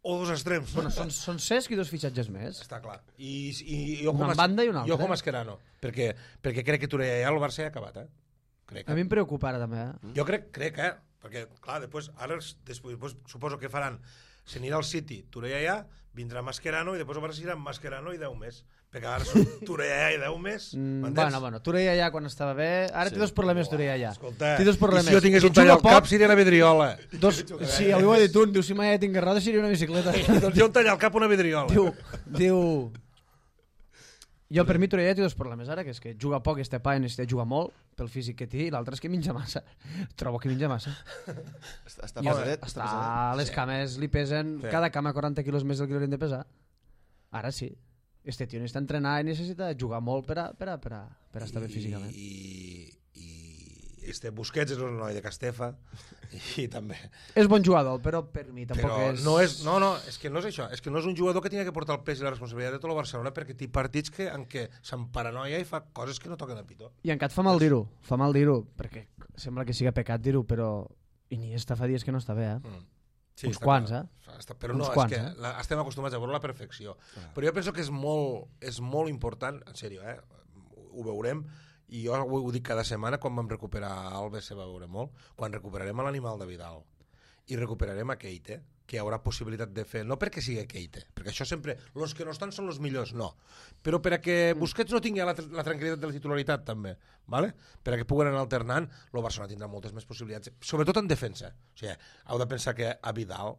o dos extrems. Bueno, són, són Cesc i dos fitxatges més. Està clar. I, i, i jo Una com en banda i una Jo altra. com Mascherano, perquè, perquè crec que Torella ja el Barça ja ha acabat, eh? Crec, A eh? mi em preocupa ara també, eh? Jo crec, crec, eh? Perquè, clar, després, ara, els- després, després suposo que faran, s'anirà al City, Torella ja, vindrà Mascherano i després el Barça serà Mascherano i deu més. Perquè ara són Torella i deu més, Mm, m'entens? bueno, bueno, Torella ja quan estava bé... Ara Sí. té dos problemes, Torella ja. Escolta, té dos problemes. i si jo tingués Que un tall juga al cap, poc, seria la vidriola. Dos... Sí, avui ho ha dit un, diu, si mai ja tingués roda seria una bicicleta. Doncs jo un tall al cap, una vidriola. diu, diu... Jo, per mi, Torella té dos problemes ara, que és que juga poc, este pa, necessita jugar molt, pel físic que té, i l'altre és que menja massa. Trobo que menja massa. Està, està I pesadet, està està, pesadet. les cames li pesen, Sí. cada cama quaranta quilos més del que li haurien de pesar. Ara sí. Este tio necessita entrenar i necessita jugar molt per a, per a, per a, per a estar bé físicament. I, i este Busquets és un noi de Castefa i també És bon jugador, però per mi tampoc però és... no és, no, no, és que no és això, és que no és un jugador que tingui que portar el pes i la responsabilitat de tot el Barcelona perquè té partits que, en què se'n paranoia i fa coses que no toquen a pitó. I encara et fa mal dir-ho, fa mal dir-ho, perquè sembla que siga pecat dir-ho, però Iniesta fa dies que no està bé, eh? Mm. Uns està quants, clar. eh? Està, però Uns no, quants, és que eh? la, estem acostumats a veure la perfecció. Ah. Però jo penso que és molt, és molt important, en sèrio, eh? Ho veurem, i jo ho, ho dic cada setmana, quan vam recuperar Alves se va veure molt, quan recuperarem a l'animal de Vidal i recuperarem a Keita, que hi haurà possibilitat de fer, no perquè sigui Keita, perquè això sempre, els que no estan són els millors, no, però per a que Busquets no tingui la, la tranquil·litat de la titularitat també, ¿vale? Per a que puguen anar alternant, el Barcelona tindrà moltes més possibilitats, sobretot en defensa. O sigui, heu de pensar que a Vidal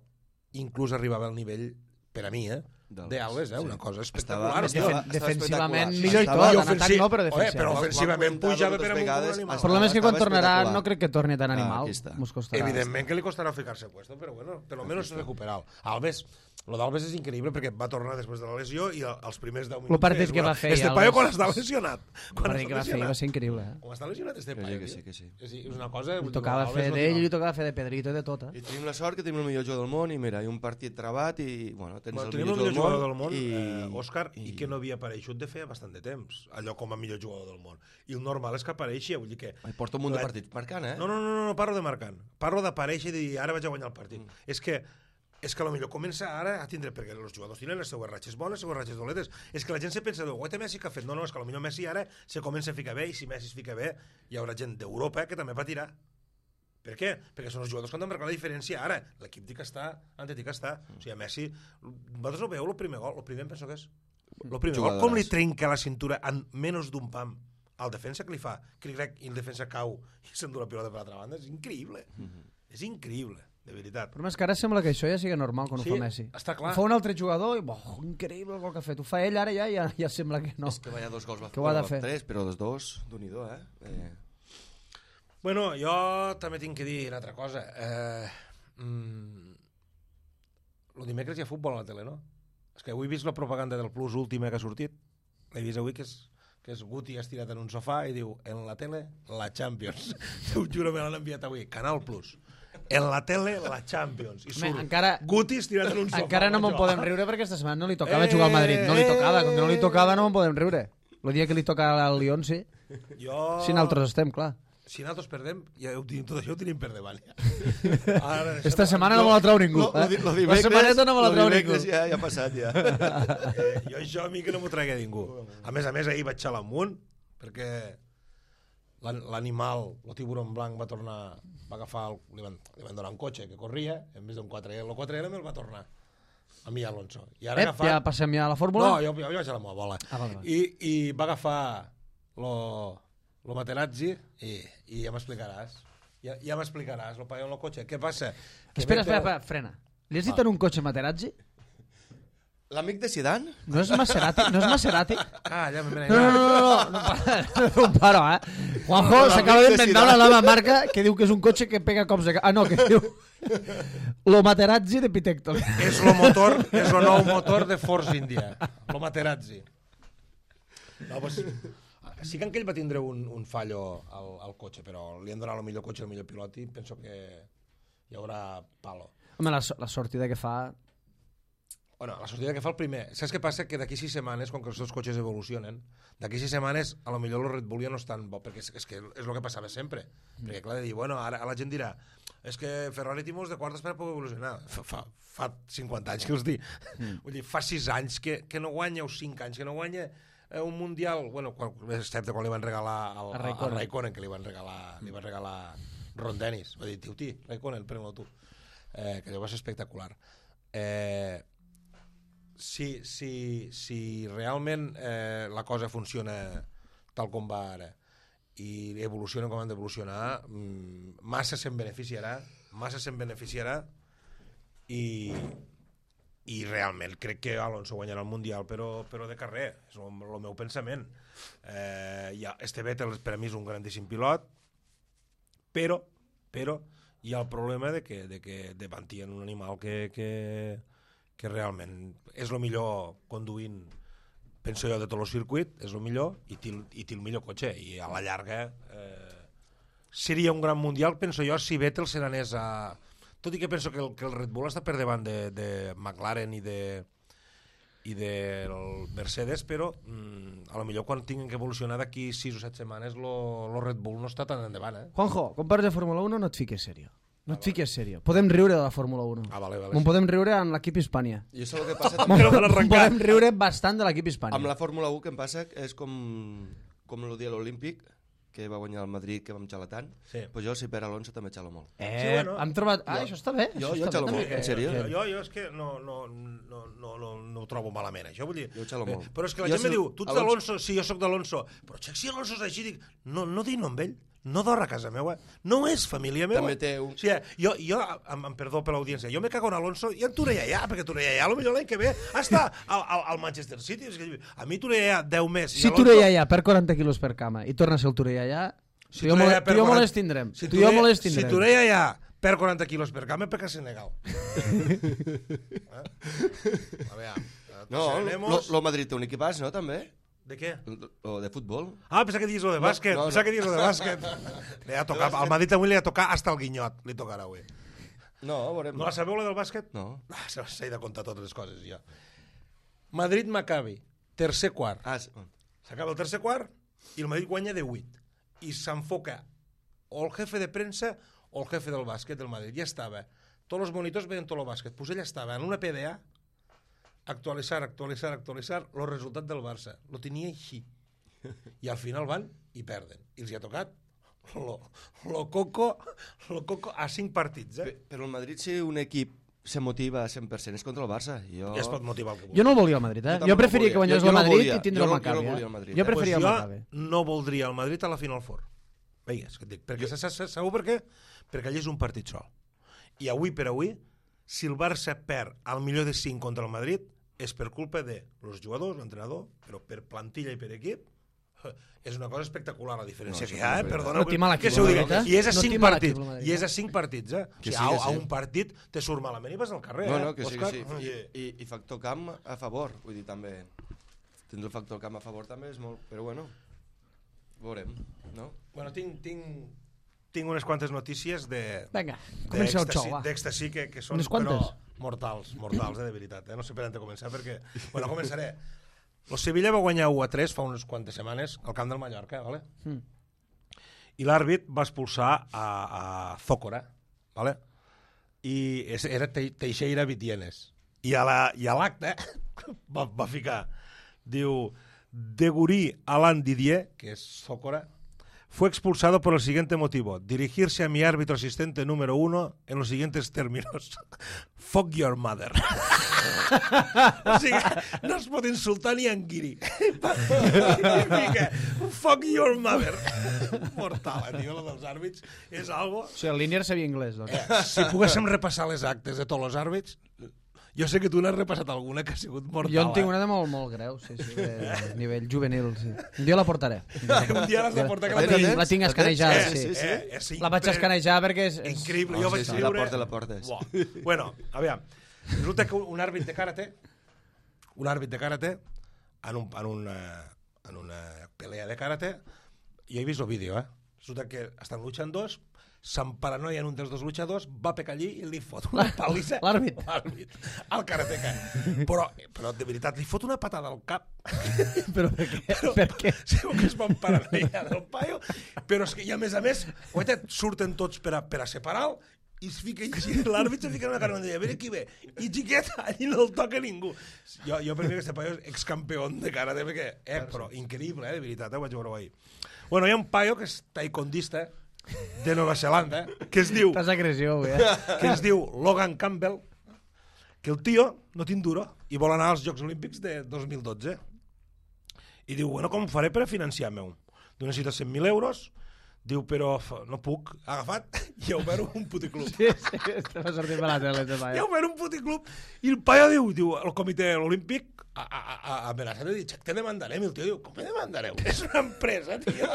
inclús arribava al nivell, per a mi, eh? d'Alves, eh? Una cosa espectacular. Estava- hòstia. estava- Defen defensivament espectacular. millor i Estava- tot, I en atac ofensiv- no, però Oye, defensivament. però ofensivament Vam comentar pujava moltes per amunt com un vegades, animal. El problema és que quan Estava tornarà espectacular. no crec que torni tan Ah, animal. aquí està. Mos costarà. Evidentment que li costarà ficar-se puesto, però bueno, per lo menos recuperar-lo. Alves, lo d'Alves és increïble perquè va tornar després de la lesió i els primers deu minuts... Lo partit és, que va bueno, fer, Este Alves. paio quan està lesionat. El Quan partit que va fer va ser increïble. Eh? Com està lesionat este Que paio? sí, que tio? sí, que sí. És, és una cosa... Li tocava fer d'ell i li tocava fer de Pedrito i de tot. Eh? I tenim la sort que tenim el millor jugador del món i mira, hi ha un partit travat i bueno, tens Bueno, el tenim millor, el millor jugador del món, i, eh, Òscar, i, i que no havia apareixut de feia bastant de temps, allò com a millor jugador del món. I el normal és que apareixi, vull dir que... Ai, porta un munt de La- partits marcant, eh? No, no, no, no, no parlo de marcant. Parlo d'aparèixer i dir, ara vaig a guanyar el partit. Mm. És que és que potser comença ara a tindre, perquè els jugadors tenen les seues ratxes bones, les seues ratxes doletes. És que la gent se pensa, guaita Messi que ha fet? No, no, és que potser Messi ara se comença a ficar bé i si Messi es fica bé hi haurà gent d'Europa que també patirà. Per què? Perquè són els jugadors que han de marcar la diferència ara. L'equip dic que està, ante dic que està. O sigui, Messi, vosaltres no veieu el primer gol? El primer em penso que és. El primer gol, com li trenca la cintura en menys d'un pam al defensa que li fa, cric i el defensa cau i s'endú la pilota per l'altra banda, és increïble. És increïble, de veritat. Però més que ara sembla que això ja sigui normal quan Sí, ho fa Messi. està clar. Ho fa un altre jugador i, oh, increïble el gol que ha fet. Ho fa ell ara ja, ja, ja sembla que no. És que vaya dos gols va Que ho ha de va fer. tres, però dos dos, d'un-i-do, eh? eh? Bueno, jo també tinc que dir una altra cosa. Eh, mm, el dimecres hi ha futbol a la tele, no? És que avui he vist la propaganda del Plus última que ha sortit. He vist avui que és, que és Guti estirat en un sofà i diu, en la tele, la Champions. T'ho juro, me l'han enviat avui. Canal Plus. En la tele, la Champions. I surt encara, Guti estirat en un sofà. Encara no me'n podem riure perquè aquesta setmana no li tocava eh, jugar al Madrid. No li tocava, com que no li tocava no me'n podem riure. El dia que li toca al Lyon, sí. Jo... Si nosaltres estem, clar. Si nosaltres perdem, ja ho tenim, tot això ho tenim per davant. Ja. Ara, Esta setmana no me la trau ningú. Lo, eh? lo, lo la setmaneta no me la trau ningú. Ja, ja ha passat, ja. Eh, jo això a mi que no m'ho tregui ningú. A més a més, ahir vaig xalar amunt, perquè l'animal, el tiburon blanc, va tornar, va agafar, el, li, van, li van donar un cotxe que corria, en vez d'un quatre L, el quatre L me'l va tornar a mi Alonso. I ara Ep, agafat... ja passem ja a la fórmula? No, jo, jo vaig a la meva bola. Ah, vale, vale. I, I va agafar lo, lo Materazzi i, i ja m'explicaràs. Ja, ja m'explicaràs, lo paio en el cotxe. Què passa? Que espera, espera, espera, frena. Li has dit en un cotxe Materazzi? L'amic de Zidane? No és Maserati? No és Maserati? Ah, ja m'he No, no, no, no, no, no, no, no paro, eh? Juanjo s'acaba d'inventar una nova marca que diu que és un cotxe que pega cops de... Ah, no, que diu... Lo Materazzi de Pitecto. És el motor, és el nou motor de Force India. Lo Materazzi. No, pues, sí que aquell va tindre un, un fallo al, al cotxe, però li han donat el millor cotxe, el millor pilot i penso que hi haurà palo. Home, la, la sortida que fa... Bueno, la sortida que fa el primer. Saps què passa? Que d'aquí sis setmanes, com que els dos cotxes evolucionen, d'aquí sis setmanes a lo millor el Red Bull ja no és tan bo, perquè és, és que és el que passava sempre. Mm. Perquè clar, de dir, bueno, ara la gent dirà és que Ferrari té molts de quartes per poder evolucionar. Fa, fa, fa cinquanta anys que us dic. Mm. Vull dir, fa sis anys que, que no guanya, o cinc anys que no guanya eh, un mundial, bueno, quan, excepte quan li van regalar al, a Raikkonen. a Raikkonen, que li van regalar, li van regalar Ron Dennis. Va dir, tio, ti, Raikkonen, pren-lo tu. Eh, que allò va ser espectacular. Eh... Si, si, si realment eh, la cosa funciona tal com va ara i evoluciona com han d'evolucionar, massa se'n beneficiarà, massa se'n beneficiarà i, i realment crec que Alonso guanyarà el Mundial, però, però de carrer, és el, el meu pensament. Eh, ja, este Vettel per a mi és un grandíssim pilot, però, però hi ha el problema de que, de que davant hi ha un animal que... que que realment és el millor conduint, penso jo, de tot el circuit, és el millor i té, i té el millor cotxe, i a la llarga eh, seria un gran mundial, penso jo, si Vettel se n'anés a... Tot i que penso que el, que el Red Bull està per davant de, de McLaren i de i del Mercedes, però mm, a lo millor quan tinguin que evolucionar d'aquí sis o set setmanes el Red Bull no està tan endavant, eh? Juanjo, quan parles de Fórmula uno no et fiques serio. No et fiques serio. Podem riure de la Fórmula uno. Ah, vale, vale. Me'n podem riure amb l'equip Hispània. I això el que passa també... podem riure bastant de l'equip Hispània. Amb la Fórmula u que em passa és com, com el dia de l'Olímpic, que va guanyar el Madrid, que vam xalar tant. Sí. Pues jo, si per Alonso, també xalo molt. Eh, sí, bueno. hem trobat... Ah, jo, això està bé. Jo, això jo està xalo bé, molt, en sèrio. Jo, jo, jo és que no, no, no, no, no, no ho trobo malament, això. Vull dir, jo xalo molt. Eh, però és que la jo gent si... me diu, tu ets d'Alonso, sí, jo sóc d'Alonso. Però xec, si Alonso és així, dic, no, no dino amb ell. No dorra a casa meva, no és família meva. També té un... O sigui, jo, jo em, em perdó per l'audiència, jo me cago en Alonso i en Torellà, perquè Torellà, potser l'any que ve està al, al, al Manchester City. A mi Torellà, deu més. Si Alonso... Torellà per quaranta quilos per cama i torna a ser el Torellà, si tu i jo me les tindrem. Si tu i jo me les tindrem. Si Torellà per quaranta quilos per cama, perquè és Senegal. eh? A veure, no, lo Madrid té un equipàs, no, també? De què? O de futbol. Ah, pensava que dius lo de bàsquet. No, no, pensava no. que dius lo de bàsquet. Li ha tocat, al Madrid avui li ha tocat hasta el guinyot. Li tocarà avui. No, veurem. No la sabeu, la del bàsquet? No. Ah, s'ha de contar totes les coses, ja. Madrid-Maccabi, tercer quart. Ah, sí. S'acaba el tercer quart i el Madrid guanya de vuit. I s'enfoca o el jefe de premsa o el jefe del bàsquet del Madrid. Ja estava. Tots els monitors veien tot el bàsquet. Pues ell estava en una P D A actualitzar, actualitzar, actualitzar el resultat del Barça. Lo tenia així. I al final van i perden. I els hi ha tocat lo, lo, coco, lo coco a cinc partits. Eh? Però el Madrid, si un equip se motiva a cent per cent és contra el Barça. Jo... Ja es pot motivar el que vulgui. Jo no el volia al Madrid, eh? Jo, jo preferia que guanyés el Madrid i tindre el Maccabi. Jo no el Madrid. Jo preferia el Maccabi. Jo no voldria el Madrid a la Final Four. Veigues, que et dic. Perquè jo... sabeu per què? Perquè allà és un partit sol. I avui per avui, si el Barça perd al millor de cinc contra el Madrid, és per culpa de los jugadors, l'entrenador, però per plantilla i per equip, és una cosa espectacular la diferència No, que hi ha, eh? Perdona, No t'hi mal que se ho digui. equivocat, eh? I és a No t'hi cinc mal partits, equivocat. i és a cinc partits, eh? O Que sigui, sí, a, que a sí. un partit te surt malament i vas al carrer, No, eh? no, que sí, que Òscar? sí. I, I- i, I factor camp a favor, vull dir, també. Tindre el factor camp a favor també és molt... Però bueno, veurem, no? Bueno, tinc, tinc, tinc unes quantes notícies de... Vinga, comença el d'èxtasi- xou, va. D'èxtasi que, que són Unes quantes? però mortals, mortals, eh, de veritat. Eh? No sé per on començar perquè... Bueno, començaré. El Sevilla va guanyar u a tres fa unes quantes setmanes al camp del Mallorca, ¿vale? Mm. I l'àrbit va expulsar a, a Zócora, ¿vale? I és- era Te- Teixeira Vitienes. I a la- i a l'acte va, va ficar, diu, Degurí Alain Didier, que es Zócora, fue expulsado por el siguiente motivo: dirigirse a mi árbitro asistente número uno en los siguientes términos. Fuck your mother. O sigui, no es pot insultar ni en guiri. Fuck your mother. Mortal, eh, tio, lo dels àrbits. És algo... O sigui, el Línier sabia anglès, doncs. Eh, si poguéssim repassar les actes de tots els àrbits, jo sé que tu n'has repassat alguna que ha sigut mortal. Jo en tinc eh? una de molt, molt greu, sí, sí, de nivell juvenil, sí. Un dia la portaré. Un dia l'has de portar, que La la tinc, tens? la tinc La escanejada, tens? sí. Sí, sí. Eh, és La vaig impre- escanejar perquè és... és... Increïble, Oh, jo vaig sí, sí, viure... la porta, la portes. Buah. Bueno, aviam, resulta que un àrbit de karate, un àrbit de karate, en, un, en, una, en una pelea de karate, jo he vist el vídeo, eh? Resulta que estan luchant dos, s'emparanoien un dels dos luchadors, va pecar allí i li fot una palissa... L'àrbit. L'àrbit. Al karateca. Però, però, de veritat, li fot una patada al cap. Però per què? Però, Per què? segur que es van paranoia del paio, però és que, i a més a més, guaita, surten tots per a, per a separar-lo, i es fica, l'àrbit se fica en una cara i deia, a veure qui ve, i xiqueta, allí no el toca ningú. Jo, jo per mi aquest paio és excampeón de karate, perquè, eh, però increïble, eh, de veritat, eh, ho vaig veure ahir. Bueno, hi ha un paio que és taekwondista de Nova Zelanda, que es diu, Estàs agressió, avui, eh? que es diu Logan Campbell, que el tio no té duro i vol anar als Jocs Olímpics de dos mil dotze. I diu, bueno, com ho faré per a financiar-me? Diu, necessito cent mil euros. Diu, però f- no puc. Ha agafat i ha obert un puticlub. Sí, sí, este va sortir per la tele, este I ha paio. obert un puticlub. I el paio diu, diu, el comitè olímpic ha, ha, ha amenaçat de dir, "Xac, te demandarem." I el tio diu, com me demandareu? És una empresa, tio.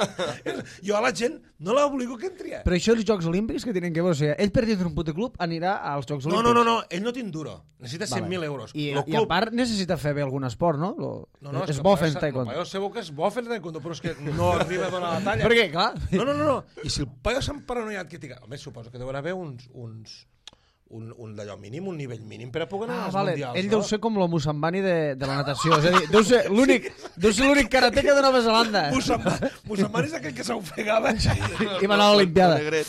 És- jo a la gent no l'obligo que entri. Però això els Jocs Olímpics que tenen que veure? O sigui, ell per dintre un puticlub anirà als Jocs No, Olímpics. no, no, no, ell no té duro. Necessita cent mil euros. I, Lo I a part necessita fer bé algun esport, no? Lo... No, no, és que bo el paio fent sa- taekwondo. El paio segur que és bo fent taekwondo, però és que no arriba a donar la talla. Perquè, clar... No, no, no, no. I si el paio s'ha paranoiat que tinga... Home, suposo que deuen haver uns... uns un, un d'allò mínim, un nivell mínim per a poder anar Ah, als vale. mundials, Ell no? deu ser com lo Musambani de, de la natació. És a dir, deu ser l'únic deu ser l'únic karateca de Nova Zelanda. Musamman, Musamman és aquell que s'ofegava. I va anar a l'Olimpiada. Negret.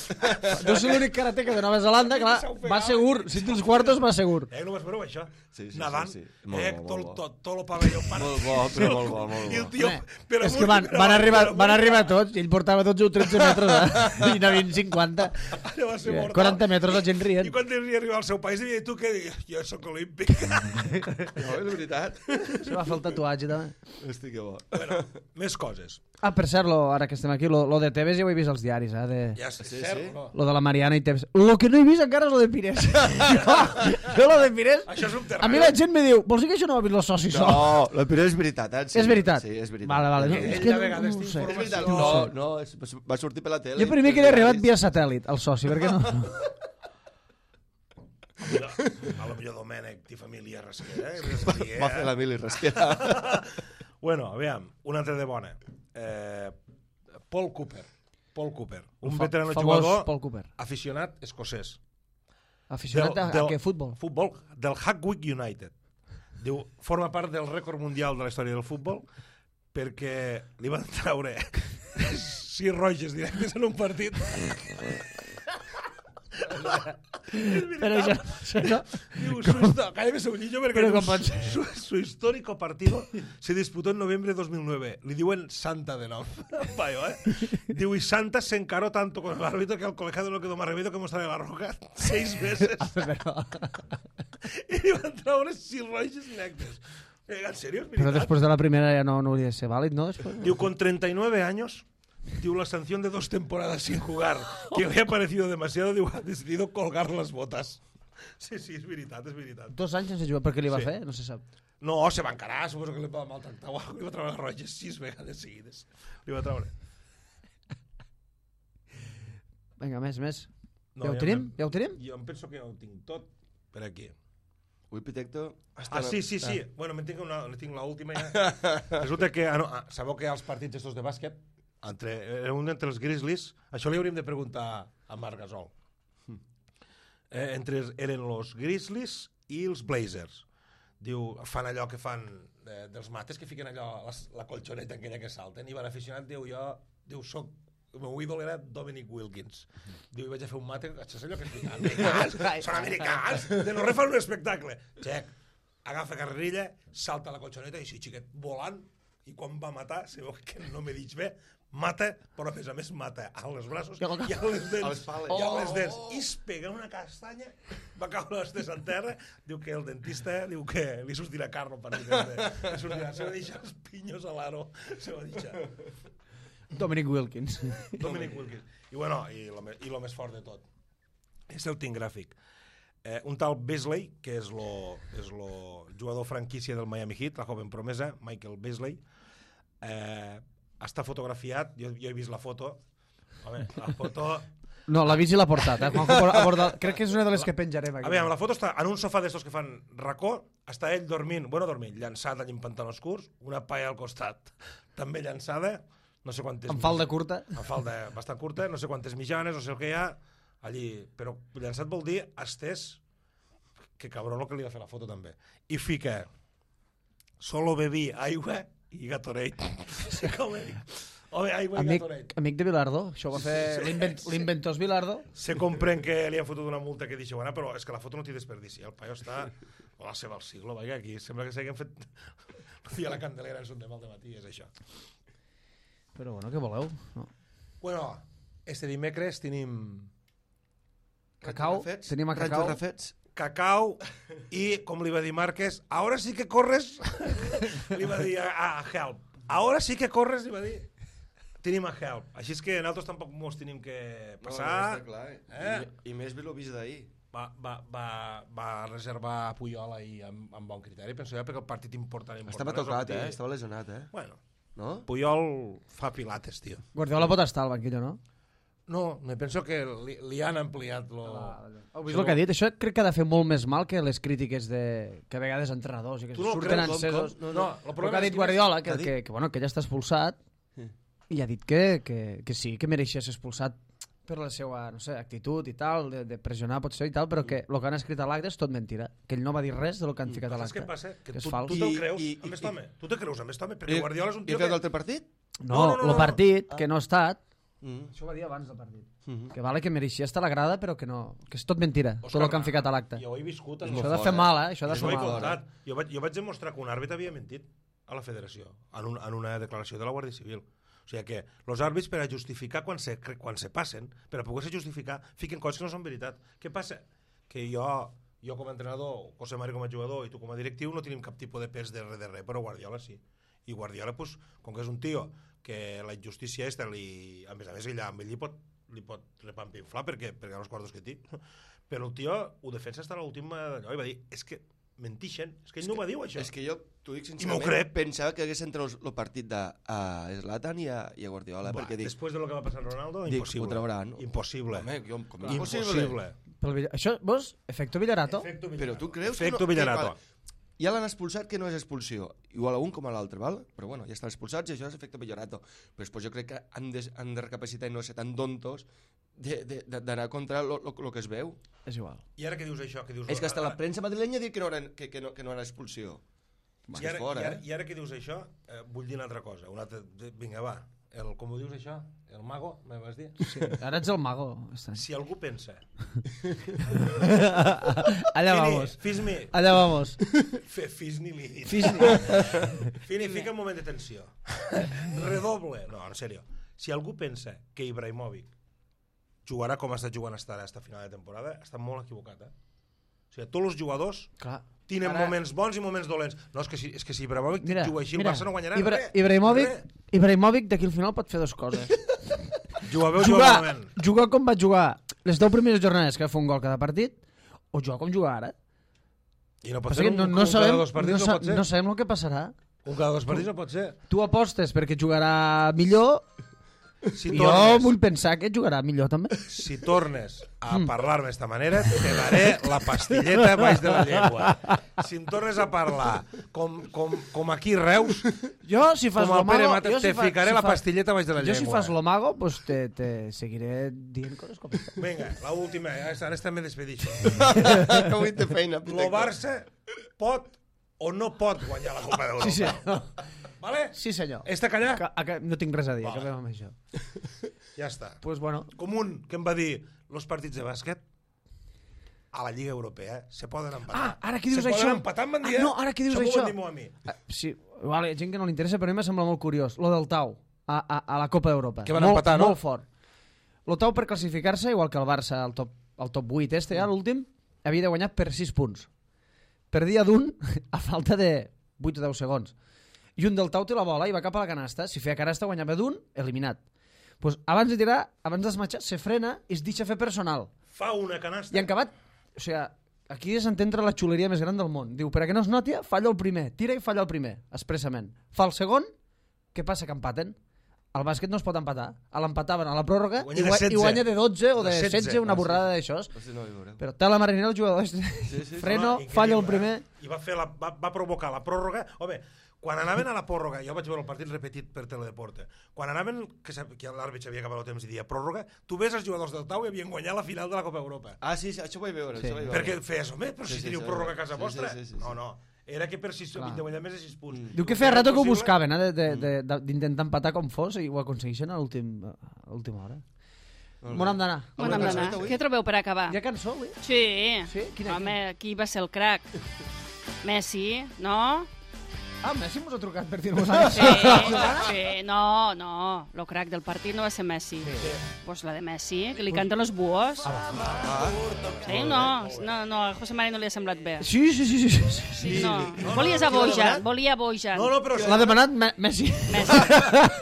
Deu ser l'únic karateca de Nova Zelanda, clar, va segur. Si té els quartos, va segur. Eh, no vas veure això? Sí, sí, Nadant, sí, sí. Molt eh, bo, tot, molt bo. tot, tot el pavelló part. Molt bo, però molt bo, molt I el bo. tio... Home, però és amunt, que van, però van, amunt, arribar, però van amunt. arribar tots i ell portava dotze o tretze metres eh? i n'havien cinquanta. Allò va ser mortal. quaranta metres la gent rient. I quan devia arribar al seu país, devia dir, tu què dius? Jo sóc olímpic. No, és veritat. Se va fer el tatuatge, també. Hosti, que bo. bueno, més coses. Ah, per cert, lo, ara que estem aquí, lo, lo de Tevez ja ho he vist als diaris, eh? De... Ja sé, Sí, cert, sí. no? Lo de la Mariana i Tevez. Lo que no he vist encara és lo de Pires. jo, jo lo de Pires... Això és un terreny. A mi la gent me diu, vols dir que això no ho ha vist el soci sol? No, la Pere és veritat, eh? Sí. És veritat? Sí, és veritat. Vale, vale. Que No, és ell que de no, vegades no ho té sé. És veritat, informació. no, no, és, va sortir per la tele. Jo primer que he arribat via satèl·lit, el soci, perquè no... A lo millor Domènec té família rasquera. Eh? Res a dir, eh? Va fer la mili rasquera. Bueno, aviam, una altra de bona. Eh, Paul Cooper. Paul Cooper. Un Fa- veterano famós jugador Paul Cooper. aficionat escocès. Aficionat a, a què? Futbol? Futbol, del Hackwick United. Diu, forma part del rècord mundial de la història del futbol perquè li van traure sis roges directes en un partit. Però això, això no... Diu, su histo- cállame ese bolillo porque Pero diu, com pot ser? su, su histórico partido se disputó en noviembre de dos mil nueve. Li diuen Santa de nom. Paio, eh? Diu, y Santa se encaró tanto con el árbitro que al colegiado no quedó más remedio que mostrarle la roja seis meses. Però, I li van traure sis roges directes. Eh, ¿En serio? ¿Es però veritat? després de la primera ja no, no hauria de ser vàlid, no? Després... Diu, con treinta y nueve años, diu, la sanción de dos temporadas sin jugar, que le ha parecido demasiado, diu, ha decidido colgar las botas. Sí, sí, és veritat, és veritat. Dos anys sense jugar, per què li va Sí. fer? No se sap. No, se va encarar, suposo que li va maltractar o alguna cosa, li va treure les roges sis vegades seguides. Li va treure. Vinga, més, més. No, ja ho tenim? Ja ho tenim? Jo em penso que ja ho tinc tot per aquí. Ui, Pitecto... Ah, sí, sí, sí. Ah. Bueno, me tinc, una, me tinc l'última ja. Resulta que, ah, no, ah, sabeu que els partits estos de bàsquet, entre, era un entre els Grizzlies, això li hauríem de preguntar a Marc Gasol. Eh, entre eren els Grizzlies i els Blazers. Diu, fan allò que fan eh, dels mates, que fiquen allò, la, la colxoneta aquella que salten, i van aficionat, diu, jo, diu, soc el meu ídol era Dominic Wilkins. Diu, vaig a fer un mate, això és allò que es diu, americans, són americans, de no refan un espectacle. Xec, agafa carrerilla, salta la colxoneta i així, xiquet, volant, i quan va matar, sabeu que no m'he dit bé, mata, però a més a més mata a les braços i a les dents. I a les dents. I es pega una castanya, va caure les dents en terra, diu que el dentista diu que li sortirà carro per dir li sortirà, se va deixar els pinyos a l'aro, se va deixar. Dominic Wilkins. Dominic Wilkins. I bueno, i lo, i lo més fort de tot, és el tinc gràfic. Eh, un tal Beasley, que és lo, és lo jugador franquícia del Miami Heat, la joven promesa, Michael Beasley, eh, està fotografiat, jo, jo he vist la foto, home, la foto... No, l'ha vist i l'ha portat, eh? Juanjo ha portat... Crec que és una de les que penjarem aquí. A veure, la foto està en un sofà d'estos que fan racó, està ell dormint, bueno, dormint, llançat allà en pantalons curts, una paia al costat, també llançada, no sé quantes... Amb falda curta. Amb falda bastant curta, no sé quantes mitjanes, no sé el que hi ha, allí, però llançat vol dir estès, que cabrón el que li va fer la foto també. I fica, solo bebí aigua i Gatorade. Sí, com he dit. Home, aigua amic, i Gatorade. amic de Vilardo, això ho va fer Sí, l'invent, sí. l'inventós Vilardo. Se comprèn que li han fotut una multa que deixa bona, però és que la foto no té desperdici. El paio està a la seva al siglo, vaja, aquí sembla que s'hagin fet... No dia la candelera en son de mal de matí, és això. Però bueno, què voleu? No. Bueno, este dimecres tenim Cacau, Refets? tenim a Ranxos Cacau. refets? cacau i, com li va dir Márquez, ahora sí que corres, li va dir a, a Help. Ahora sí que corres, li va dir. Tenim a Help. Així és que nosaltres tampoc mos tenim que passar. No, no, està clar. Eh? I, I més ve l'ho vist d'ahir. Va, va, va, va reservar Puyol ahir amb, amb bon criteri, penso jo, perquè el partit important... important Estava és el tocat, que eh? té. Estava lesionat, eh? Bueno, No? Puyol fa pilates, tio. Guardiola pot estar al banquillo, no? No, me penso que li, li han ampliat lo... Heu vist el que ha dit? Això crec que ha de fer molt més mal que les crítiques de... que a vegades entrenadors i que Tu no surten creus, com- encesos. com- no, no, el El problema que ha és dit que- Guardiola, que, Què ha dit? que, que, bueno, que ja està expulsat, Sí. i ha dit que, que, que sí, que mereixia ser expulsat per la seva, no sé, actitud i tal, de, de pressionar potser i tal, però que el que han escrit a l'acte és tot mentira, que ell no va dir res del que han ficat a Saps què l'acte. passa? Que, que és tu, fals. tu te'l I- creus i- amb i- aquest home. Tu te creus amb aquest home, perquè I- Guardiola és un I tio ha fet que... l'altre partit? No, No, no, no, el no. partit, que no ha estat, Mm. això ho va dir abans del partit, Mhm. que vale que mereixia estar a la grada, però que no, que és tot mentira, Òscar, tot el que han ficat a l'acte. Jo ho he viscut. És en molt Això ha de fort, fer eh? mal, eh? Això ha de És Jo fer ho he molt mal. fort. contat. Jo vaig, jo vaig demostrar que un àrbitre havia mentit a la federació, en, un, en una declaració de la Guàrdia Civil. O sigui que els àrbits, per a justificar quan se, quan se passen, per a poder-se justificar, fiquen coses que no són veritat. Què passa? Que jo, jo com a entrenador, José Mari com a jugador i tu com a directiu no tenim cap tipus de pes de res de res, però Guardiola sí. I Guardiola, pues, com que és un tio que la injustícia esta, li, a més a més, ella, amb ell li pot, li pot repampinflar perquè, perquè els quartos que té. Però el tio ho defensa fins a l'última d'allò i va dir, és que mentixen, és que ell És no que- ho va dir això. És que jo, t'ho dic I m'ho sincerament, crec. pensava que hagués entrat el partit de a Zlatan i a, i a Guardiola, Va, perquè dic, després de lo que va passar amb Ronaldo, dic, impossible. ho trauran. Impossible. Home, jo, com és Impossible. Pel Villa- Això, vos, efecto Villarato? Efecto Però tu creus Efecto que no... Villarato. Que, vale, ja l'han expulsat, que no és expulsió. Igual a un com a l'altre, val? Però bueno, ja estan expulsats i això és efecte Villarato. Però després jo crec que han de, han de recapacitar i no ser tan dontos d'anar contra el que es veu. És igual. I ara que dius això? Que dius, És que hasta la ara- premsa madrilenya diu que no era, que, que no, que no era expulsió. I És ara, fora, i, ara, eh? I ara que dius això, eh, vull dir una altra cosa. Una altra, vinga, va. El, com ho dius això? El mago, me vas dir? Sí. Ara ets el mago. Està. Si algú pensa... Allà Fini, vamos. fes-me... Allà vamos. Fe, fes-ni li dit. Fis- Fini, fica un moment de tensió. Redoble. No, en sèrio. Si algú pensa que Ibrahimovic jugarà com ha estat jugant hasta ara, hasta final de temporada, està molt equivocat, eh? O sigui, tots els jugadors Clar. tenen Ara- moments bons i moments dolents. No, és que si, és que si Ibrahimovic Mira, juga així, mira, el Barça no guanyarà Ibra res. Ibrahimovic, Res. Ibrahimovic d'aquí al final pot fer dues coses. Jugar bé o jugar jugar, malament. jugar com va jugar les deu primeres jornades que va fer un gol cada partit, o juga com juga ara. I no pot Passa ser que un, no, no, un cada sabem, dos partits, no, no, sa- pot ser. no sabem el que passarà. Un cada dos partits no pot ser. Tu apostes perquè jugarà millor, Si i jo tornes, vull pensar que jugarà millor també. si tornes a parlar-me d'esta manera, te daré la pastilleta baix de la llengua. Si em tornes a parlar com, com, com aquí Reus, Jo, si fas com el Pere lo mago... Mata, jo te si fa- ficaré si la fa- pastilleta baix de la Jo llengua. si fas lo mago, pues te, te seguiré dient coses com aquesta. Vinga, l'última, ara està me despedixo. Avui té feina. Lo Barça pot o no pot guanyar la Copa d'Europa. Sí, senyor. Vale? Sí, senyor. Està callat? Que, que, no tinc res a dir, Vale. acabem amb això. Ja està. Pues bueno, Com un que em va dir los partits de bàsquet a la Lliga Europea se poden empatar. Ah, ara que dius se això... Se poden empatar, em van dir, Ah, eh? no, ara que dius m'ho això... van dir molt a mi. Ah, sí, igual hi ha gent que no li interessa, però a mi m'ha semblat molt curiós. Lo del Tau, a, a, a la Copa d'Europa. Que van molt, empatar, no? Molt fort. Lo Tau, per classificar-se, igual que el Barça, al top, al top vuit este, ja, l'últim, havia de guanyar per sis punts. Perdia d'un a falta de vuit o deu segons. I un del Tau té la bola i va cap a la canasta. Si feia canasta, guanyava d'un, eliminat. Pues, abans de tirar, abans d'esmatxar, se frena i es deixa fer personal. Fa una canasta. I en acabat, o sigui, aquí és entendre la xuleria més gran del món. Diu, per a que no es noti, falla el primer. Tira i falla el primer, expressament. Fa el segon, què passa? Que empaten. Al bàsquet no es pot empatar. A l'empataven a la pròrroga Guanya i, de gua- setze. i guanya de dotze o de De setze. setze, una Ah, sí. borrada d'això. Hosti, no, hi veureu. Però té la marinera el jugador. Sí, sí. Freno, Home, falla el increïble, primer. eh? I va, fer la, va, va provocar la pròrroga. Home, quan anaven a la pròrroga, jo vaig veure el partit repetit per Teledeporte, quan anaven, que, sap- que l'àrbitre havia acabat el temps i dia pròrroga, tu ves els jugadors del Tau i havien guanyat la final de la Copa Europa. Ah, sí, sí, això ho vaig veure. Sí. Això ho vaig veure. Perquè feies, home, però Sí, si sí, teniu sí, pròrroga a sí, casa sí, vostra. sí, sí, sí. No, no. Era que per sis, Clar. de guanyar més de sis punts. Diu que El feia rato que ho possible- buscaven, eh, de- de- de- de- d'intentar empatar com fos, i ho aconsegueixen a l'últim- a l'última hora. Molt bé. M'on hem d'anar? On hem d'anar? avui? Què trobeu per acabar? Hi ha cançó, avui? Sí. Sí? Quina, Home, qui va ser el crac? Messi, no? Ah, Messi mos ha trucat per dir-nos això. Sí, sí, no, no. Lo crac del partit no va ser Messi. Pues la de Messi, que li canten los búhos. Ah, Sí, no, no, no, a José Mari no li ha semblat bé. Sí, sí, sí, sí, sí, sí. Sí, no. no, Volies no, a qui l'ha Bojan, demanat? volia Bojan. No, no, però... L'ha demanat Me Messi. Messi.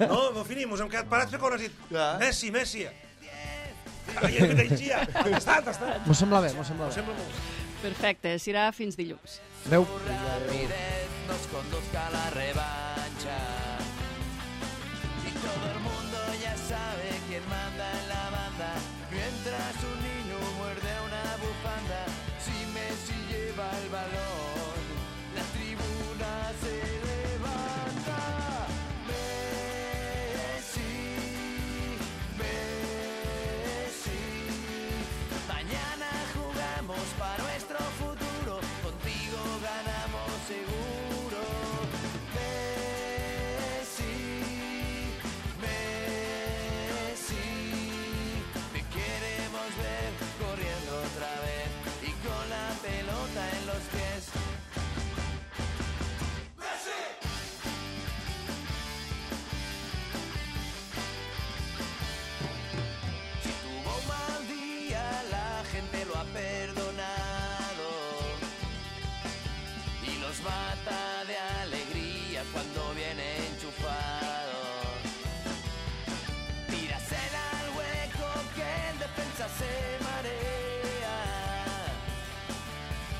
No, no finim, us hem quedat parats perquè quan has dit Clar. Messi, Messi. Ai, que t'eixia. Està, està. M'ho sembla bé, m'ho sembla bé. Sembla molt. Perfecte, serà fins dilluns. Adéu. nos conduzca a la revancha. Y todo el mundo ya sabe quién manda en la banda. Mientras un niño muerde una bufanda, si Messi lleva el balón, la tribuna se levanta. Messi, Messi, mañana jugamos para nuestro futuro, contigo ganamos seguro. Messi, Messi, te queremos ver corriendo otra vez y con la pelota en los pies. Si tuvo un mal día, la gente lo ha perdonado y los mata de alegría cuando viene enchufado. Tírasela al hueco que en defensa se marea,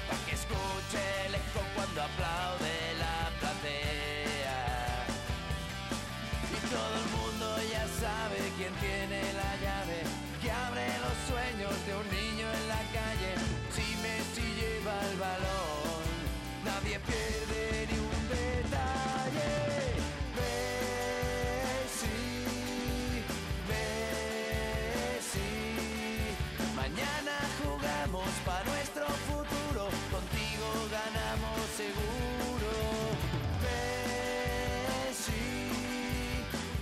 pa' que escuche el eco cuando aplaude la platea. Y todo el mundo ya sabe quién tiene la llave que abre los sueños de un niño en la calle. Si Messi lleva el balón, nadie pierde ni un detalle. Messi, Messi, mañana jugamos para nuestro futuro, contigo ganamos seguro. Messi,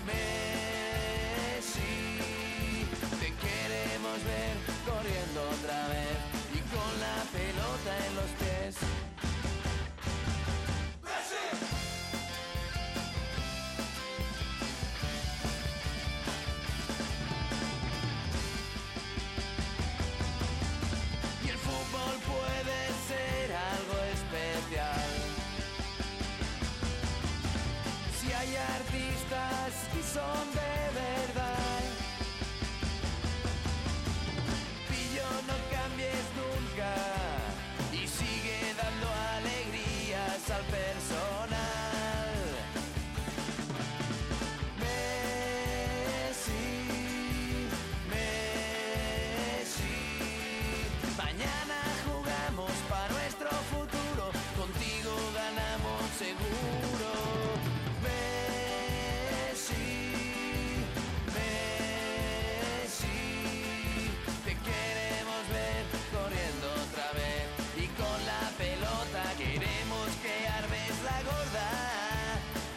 Messi, te queremos ver corriendo otra vez y con la pelota en los pies. Y el fútbol puede ser algo especial si hay artistas que son de verdad. Pillo, no cambies nunca seguro. Messi, Messi, te queremos ver corriendo otra vez y con la pelota queremos que armes la gorda,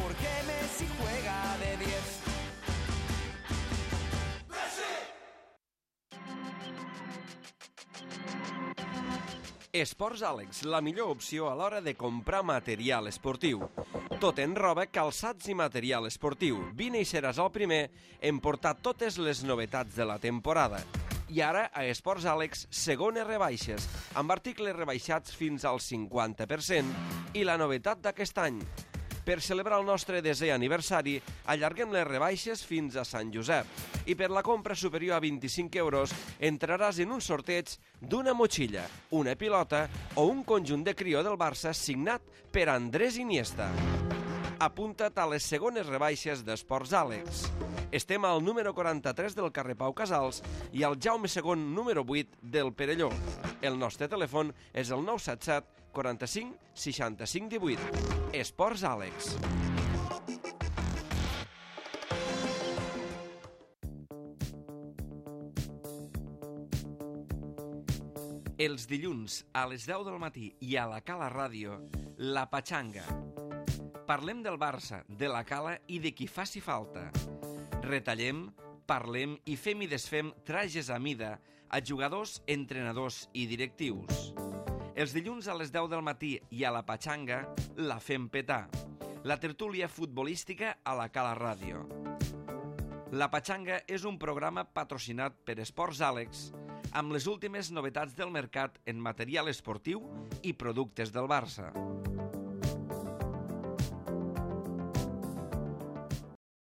porque Messi juega de diez. Esports Àlex, la millor opció a l'hora de comprar material esportiu. Tot en roba, calçats i material esportiu. Vine i seràs el primer en portar totes les novetats de la temporada. I ara, a Esports Àlex, segones rebaixes, amb articles rebaixats fins al cinquanta per cent i la novetat d'aquest any. Per celebrar el nostre desè aniversari, allarguem les rebaixes fins a Sant Josep. I per la compra superior a vint-i-cinc euros entraràs en un sorteig d'una motxilla, una pilota o un conjunt de crió del Barça signat per Andrés Iniesta. Apunta't a les segones rebaixes d'Esports Àlex. Estem al número quaranta-tres del carrer Pau Casals i al Jaume segon número vuit del Perelló. El nostre telèfon és el nou set set quaranta-cinc seixanta-cinc divuit. Esports Àlex. Els dilluns a les deu del matí i a la Cala Ràdio, La Patxanga. Parlem del Barça, de la Cala i de qui faci falta. Retallem, parlem i fem i desfem trajes a mida a jugadors, entrenadors i directius. Els dilluns a les deu del matí i a la Patxanga la fem petar. La tertúlia futbolística a la Cala Ràdio. La Patxanga és un programa patrocinat per Esports Àlex amb les últimes novetats del mercat en material esportiu i productes del Barça.